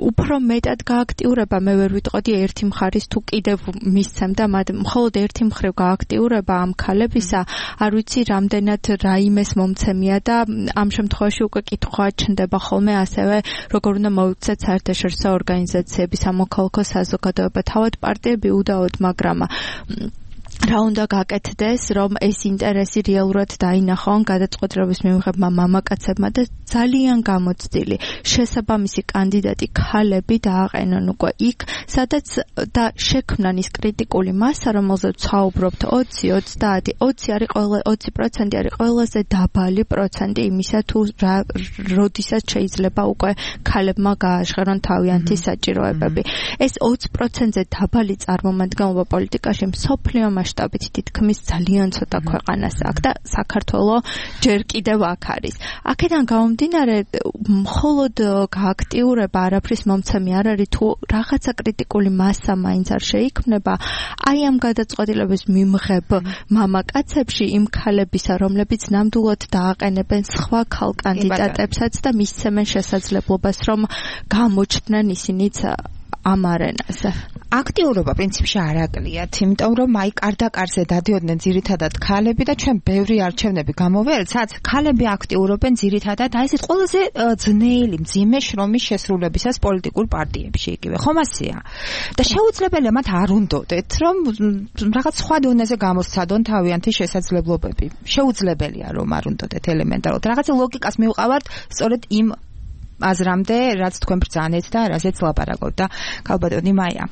S5: უფრო მეტად გააქტიურება, მე ვერ ვიტყოდი ერთი მხარის თუ კიდევ მისცემდა, მხოლოდ ერთი მხრივ გააქტიურება ამ ქალებისა, არ ვიცი რამდენად რაიმეს მომცემია და ამ შემთხვევაში უკვე კითხვა ჩნდება ხოლმე ასევე როგორ უნდა მოიქცეთ საერთაშორისო ორგანიზაციები, სამოქალაქო საზოგადოება, თავად პარტიები უდაოდ, მაგრამ რა უნდა გაკეთდეს, რომ ეს ინტერესი რეალურად დაინახონ გადაწყვეტილების მიმღებმა მამაკაცებმა და ძალიან გამოცდილი შესაბამისი კანდიდატი ქალები დააყენონ უკვე იქ, სადაც და შექმნან ის კრიტიკული მასა, რომელზეც საუბრობთ 20% არის ყველაზე დაბალი პროცენტი იმისა, თუ როდესაც შეიძლება უკვე ქალებმა გააჟღერონ თავიანთი საჭიროებები. ეს 20%-ზე დაბალი წარმომადგენლობა პოლიტიკაში მსოფლიო მასშტაბით თითქმის ძალიან ცოტა ქვეყანას აქვს და საქართველო ჯერ კიდევ აქ არის. აქედან გამომდინარე, მხოლოდ გააქტიურება არაფრის მომცემი არ არის, თუ რაღაცა კრიტიკული მასა მაინც არ შეიქმნება, აი ამ გადაწყვეტილების მიმღებ მამაკაცებში იმ ქალებისა, რომლებიც ნამდვილად დააყენებენ სხვა ქალ კანდიდატებსაც და მისცემენ შესაძლებლობას, რომ გამოჩნდნენ ისინიც ამ არენაზე.
S3: აქტიურობა პრინციპში არ აკლიათ, იმიტომ რომ აი კარდაკარზე დადიოდნენ ძირითადად ქალები და ჩვენ ბევრი არჩევნები გამოვიარეთ, სადაც ქალები აქტიურობენ ძირითადად აი ეს ყველაზე ძნელი, მძიმე შრომის შესრულებისას პოლიტიკურ პარტიებში იგივე. ხომ ასეა? და შეუძლებელია მათ არ უნდოდეთ, რომ რაღაც სხვა დონეზე გამოსცადონ თავიანთი შესაძლებლობები. შეუძლებელია რომ არ უნდოდეთ ელემენტარულად. რაღაცა ლოგიკას მივყავართ სწორედ იმ აზრამდე, რაც თქვენ ბრძანეთ და რაზეც ლაპარაკობთ და ქალბატონი მაია.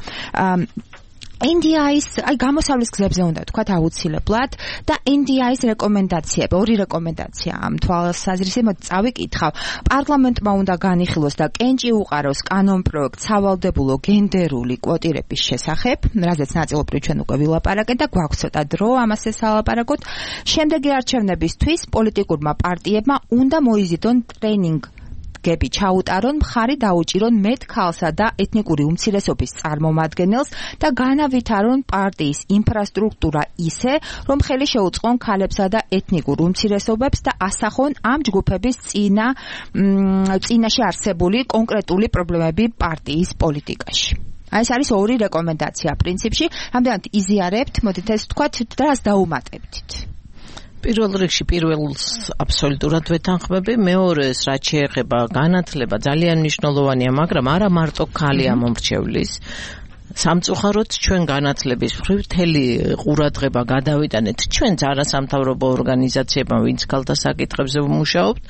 S3: NDI-ის აი გამოსავლის გზებზე უნდა თქვა აუცილებლად და NDI-ის რეკომენდაციები, ორი რეკომენდაცია ამ თვალსაზრისით წავიკითხავ. პარლამენტმა უნდა განიხილოს და კენჭი უყაროს კანონპროექტს სავალდებულო გენდერული კვოტირების შესახებ, რაზეც ნაწილობრივ ჩვენ უკვე ვილაპარაკეთ და გვაქვს ცოტა დრო ამას ესალაპარაკოთ. შემდეგი არჩევნებისთვის პოლიტიკურმა პარტიებმა უნდა მოიზიდონ ტრენინგ გები ჩაუტარონ, მხარი დაუჭირონ მეტ ქალსა და ეთნიკური უმცირესობის წარმომადგენელს და განავითარონ პარტიის ინფრასტრუქტურა ისე, რომ ხელი შეუწყონ ქალებსა და ეთნიკურ უმცირესობებს და ასახონ ამ ჯგუფების წინაშე არსებული კონკრეტული პრობლემები პარტიის პოლიტიკაში. ეს არის ორი რეკომენდაცია პრინციპში, რამდენად იზიარებთ, მოდით ეს ვთქვათ, რას დაუმატებთ.
S4: პირველ რიგში პირველს აბსოლუტურად ვეთანხმები, მეორეს რაც შეეხება განათლება ძალიან მნიშვნელოვანია, მაგრამ არა მარტო ქალია მომრჩევლის. სამწუხაროდ ჩვენ განათლების მხრივ მთელი ყურადღება გადავიტანეთ ჩვენც არასამთავრობო ორგანიზაციებმა, ვინც ქალთა საკითხებზე ვმუშაობთ,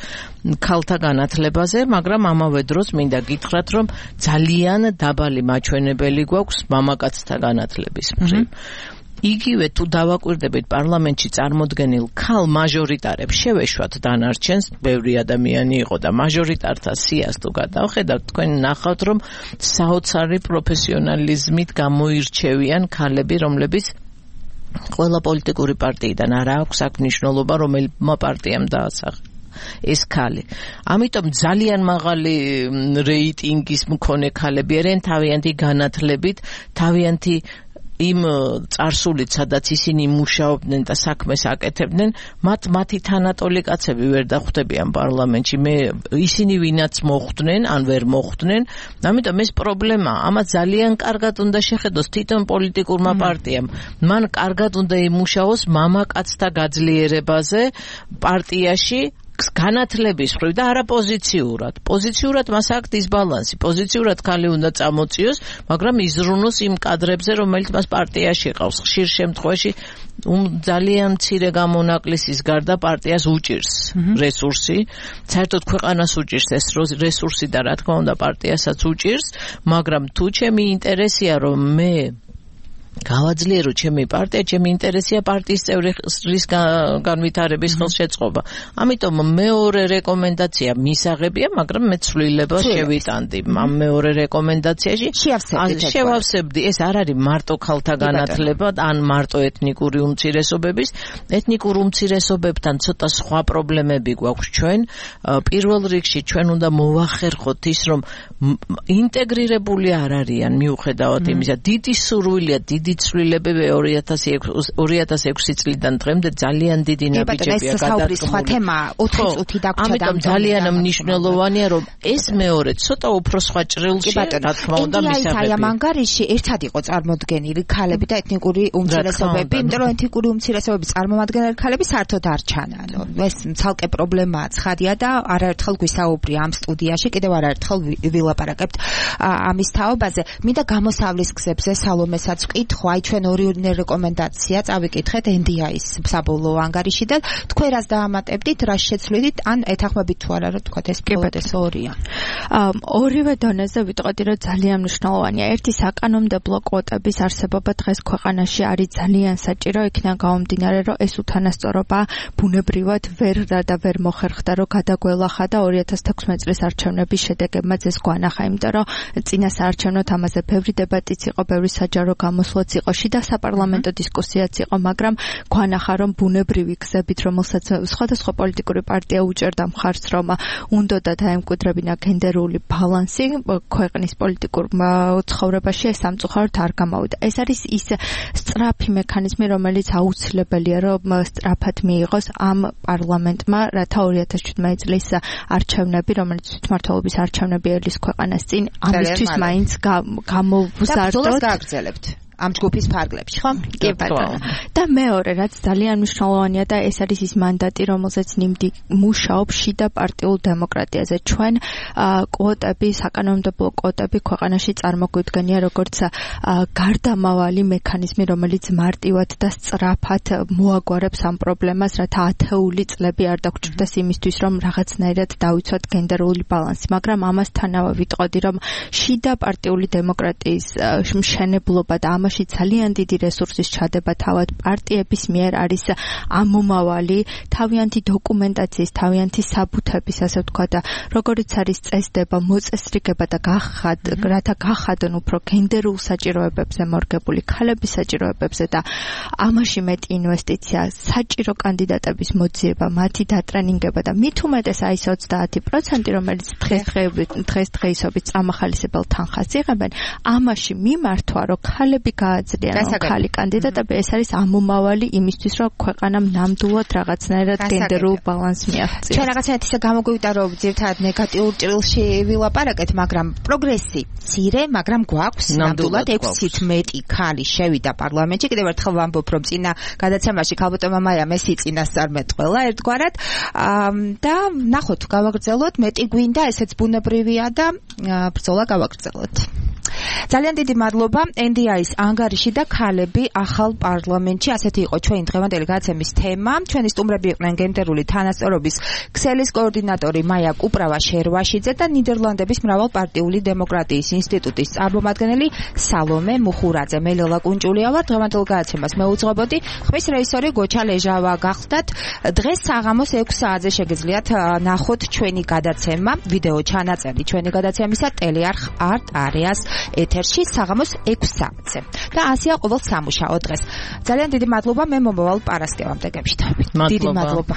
S4: ქალთა განათლებაზე, მაგრამ ამავე დროს მინდა გითხრათ, რომ ძალიან დაბალი მაჩვენებელი გვაქვს მამაკაცთა განათლების მხრივ. იგივე თუ დავაკვირდებით პარლამენტში წარმოდგენილ ქალ მაჟორიტარებს შევეშვათ დანარჩენს, ბევრი ადამიანი იყო და მაჟორიტართა სიას თუ გადავხედავთ, თქვენ ნახავთ, რომ საოცარი პროფესიონალიზმით გამოირჩევიან ქალები, რომლებიც ყველა პოლიტიკური პარტიიდან არ აქვს აქ მნიშვნელობა, რომელმა პარტიამ დაასახა ეს ქალი. ამიტომ ძალიან მაღალი რეიტინგის მქონე ქალები არიან თავიანთი განათლებით, თავიანთი იმ წარსულით, სადაც ისინი მუშაობდნენ და საქმეს აკეთებდნენ, მათი თანატოლი კაცები ვერ დახვდებიან პარლამენტში. ისინი ვინაც მოხვდნენ, ან ვერ მოხვდნენ, ამიტომ ეს პრობლემაა. ამას ძალიან კარგად უნდა შეხედოს თვითონ პოლიტიკურმა პარტიამ. მან კარგად უნდა იმუშაოს მამაკაცთა გაძლიერებაზე პარტიაში, განათლების მხრივ და არა პოზიციურად. პოზიციურად მას აქვს დისბალანსი. პოზიციურად ხალი უნდა წამოწიოს, მაგრამ იზრუნოს იმ კადრებზე, რომელიც მას პარტიაში ყავს. ხშირ შემთხვევაში ძალიან მცირე გამონაკლისის გარდა პარტიას უჭირს რესურსი. საერთოდ ქვეყანას უჭირს ეს რესურსი და რა თქმა უნდა პარტიასაც უჭირს, მაგრამ თუ ჩემი ინტერესია რომ მე გავაძლიერო ჩემი პარტია, ჩემი ინტერესია პარტიის წევრის განვითარების ხელშეწყობა. ამიტომ მეორე რეკომენდაცია მისაღებია, მაგრამ მე ცვლილებას შევიტანდი. ამ მეორე რეკომენდაციაში შევავსებდი. ეს არ არის მარტო ქალთა განათლება, ან მარტო ეთნიკური უმცირესობების. ეთნიკურ უმცირესობებთან ცოტა სხვა პრობლემები გვაქვს ჩვენ. პირველ რიგში ჩვენ უნდა მოვახერხოთ ის, რომ ინტეგრირებული არ არიან მიუხედავად იმისა. დიდი სურვილია, დიდი ცვლილებები 2006 წლიდან დღემდე ძალიან დიდი ნაბიჯებია გადადგმული. ამიტომ ძალიან მნიშვნელოვანია რომ ეს მეორე ცოტა უფრო სხვა ჭრილში რა თქმა უნდა მისაღებია.
S3: აი ამ ანგარიში ერთად იყო წარმოდგენილი ქალები და ეთნიკური უმცირესობები, იმიტომ რომ ეთნიკური უმცირესობების წარმომადგენელი ქალები საერთოდ არ ჩანან. ეს ცალკე პრობლემაა, ცხადია და არაერთხელ გვისაუბრია ამ სტუდიაში, კიდევ არაერთხელ ვილაპარაკებთ ამის თაობაზე. მინდა გამოსავლის გზებზე სალომესაც ვკითხო, აი ჩვენ ორი რეკომენდაცია წავიკითხეთ NDI-ის საბოლოო ანგარიში და თქვენ რას დაამატებდით, რას შეცვლით, ან ეთანხმებით თუ არა, რომ თქვათ ეს პროცესი ორია.
S5: ორივე დონეზე ვიტყოდი, რომ ძალიან მნიშვნელოვანია. ერთი საკანონმდებლო კვოტების არსებობა დღეს ქვეყანაში არის ძალიან საჭირო, იქიდან გამომდინარე, რომ ეს უთანასწორობა ბუნებრივად ვერ მოხერხდა, რომ გადაგველახა და 2016 წლის არჩევნების შედეგებმაც ეს გვანახა, იმიტომ რომ წინა საარჩევნო ამაზე ბევრი დებატიც იყო, ბევრი საჯარო გამოსვლაც იყო, შიდა საპარლამენტო დისკუსიაც იყო, მაგრამ გვანახა, რომ ბუნებრივი გზებით, რომელსაც სხვადასხვა პოლიტიკური პარტია უჭერდა მხარს, რომ უნდოდა დაემკვიდრებინა გენდერული ბალანსი ქვეყნის პოლიტიკურ ცხოვრებაში, ეს სამწუხაროდ არ გამოვიდა. ეს არის ის სწრაფი მექანიზმი, რომელიც აუცილებელია, რომ სწრაფად მიიღოს ამ პარლამენტმა, რათა 2017 წლის არჩევნები, რომელიც თვითმმართველობის არჩევნები ელის ქვეყანას წინ, ამისთვის მაინც გამოვზარდოთ. ამ ჯგუფის ფარგლებში, ხო? კი ბატონო. და მეორე, რაც ძალიან მნიშვნელოვანია და ეს არის ის მანდატი, რომელზეც ნიმდი მუშაობს შიდა პარტიულ დემოკრატიაზე. ჩვენ კვოტები, საკანონმდებლო კვოტები ქვეყანაში წარმოგვიდგენია როგორც გარდამავალი მექანიზმი, რომელიც მარტივად და სწრაფად მოაგვარებს ამ პრობლემას, რათა ათეული წლები არ დაგჭირდეს იმისთვის, რომ რაღაცნაირად დავიცვათ გენდერული ბალანსი. მაგრამ ამასთანავე ვიტყოდი, რომ შიდა პარტიული დემოკრატიის მშენებლობა და ამაში ძალიან დიდი რესურსის ჩადება თავად პარტიების მიერ არის ამომავალი თავიანთი დოკუმენტაციის, თავიანთი საბუთების, ასე ვთქვა და როგორიც არის წესდება, მოწესრიგება და რათა გახადონ უფრო გენდერულ საჭიროებებზე მორგებული ქალების საჭიროებებზე და ამაში მეტი ინვესტიცია, საჭირო კანდიდატების მოძიება, მათი დატრენინგება და მით უმეტეს აი 30%, რომელიც დღესდღეობით წამახალისებელ თანხას იღებენ, ამაში მიმართვა, რომ ქალები გააძლიერონ ქალი კანდიდატები, ეს არის ამომავალი იმისთვის, რომ ქვეყანამ ნამდვილად რაღაცნაირად გენდერულ ბალანსს მიაღწიოს.
S3: ჩვენ რაღაცნაირად ისე გამოგვივიდა, რომ ძირთადად ნეგატიურ ჭრილში ვილაპარაკეთ, მაგრამ პროგრესი მცირე, მაგრამ გვაქვს ნამდვილად 6-ით მეტი ქალი შევიდა პარლამენტში. კიდევ ერთხელ ვამბობ, რომ წინა გადაცემაში ქალბატონმა მაიამ ეს იწინასწარმეტყველა ერთგვარად და ნახოთ, გავაგრძელოთ, მეტი გვინდა, ესეც ბუნებრივია და ბრძოლა გავაგრძელოთ. ძალიან დიდი მადლობა. NDI-ის ანგარიში და ქალები ახალ პარლამენტში, ასეთი იყო ჩვენი დღევანდელი გადაცემის თემა. ჩვენი სტუმრები იყვნენ გენდერული თანასწორობის ქსელის კოორდინატორი მაია კუპრავა-შერვაშიძე და ნიდერლანდების მრავალპარტიული დემოკრატიის ინსტიტუტის წარმომადგენელი სალომე მუხურაძე. მე ლელა კუნჭულია ვარ, დღევანდელ გადაცემას მეუძღვებოდი. ხმის რეჟისორი გოჩა ლეჟავა გახდათ. დღეს საღამოს 6 საათზე შეგიძლიათ ნახოთ ჩვენი გადაცემა, ვიდეო ჩანაწერი ჩვენი გადაცემისა ტელეარხ არტ არეას ეთერში საღამოს 6 საათზე. და ასია ყოველ სამუშაო დღეს. ძალიან დიდი მადლობა, მე მომავალ პარასკევამდე გემშვიდობებით. დიდი მადლობა.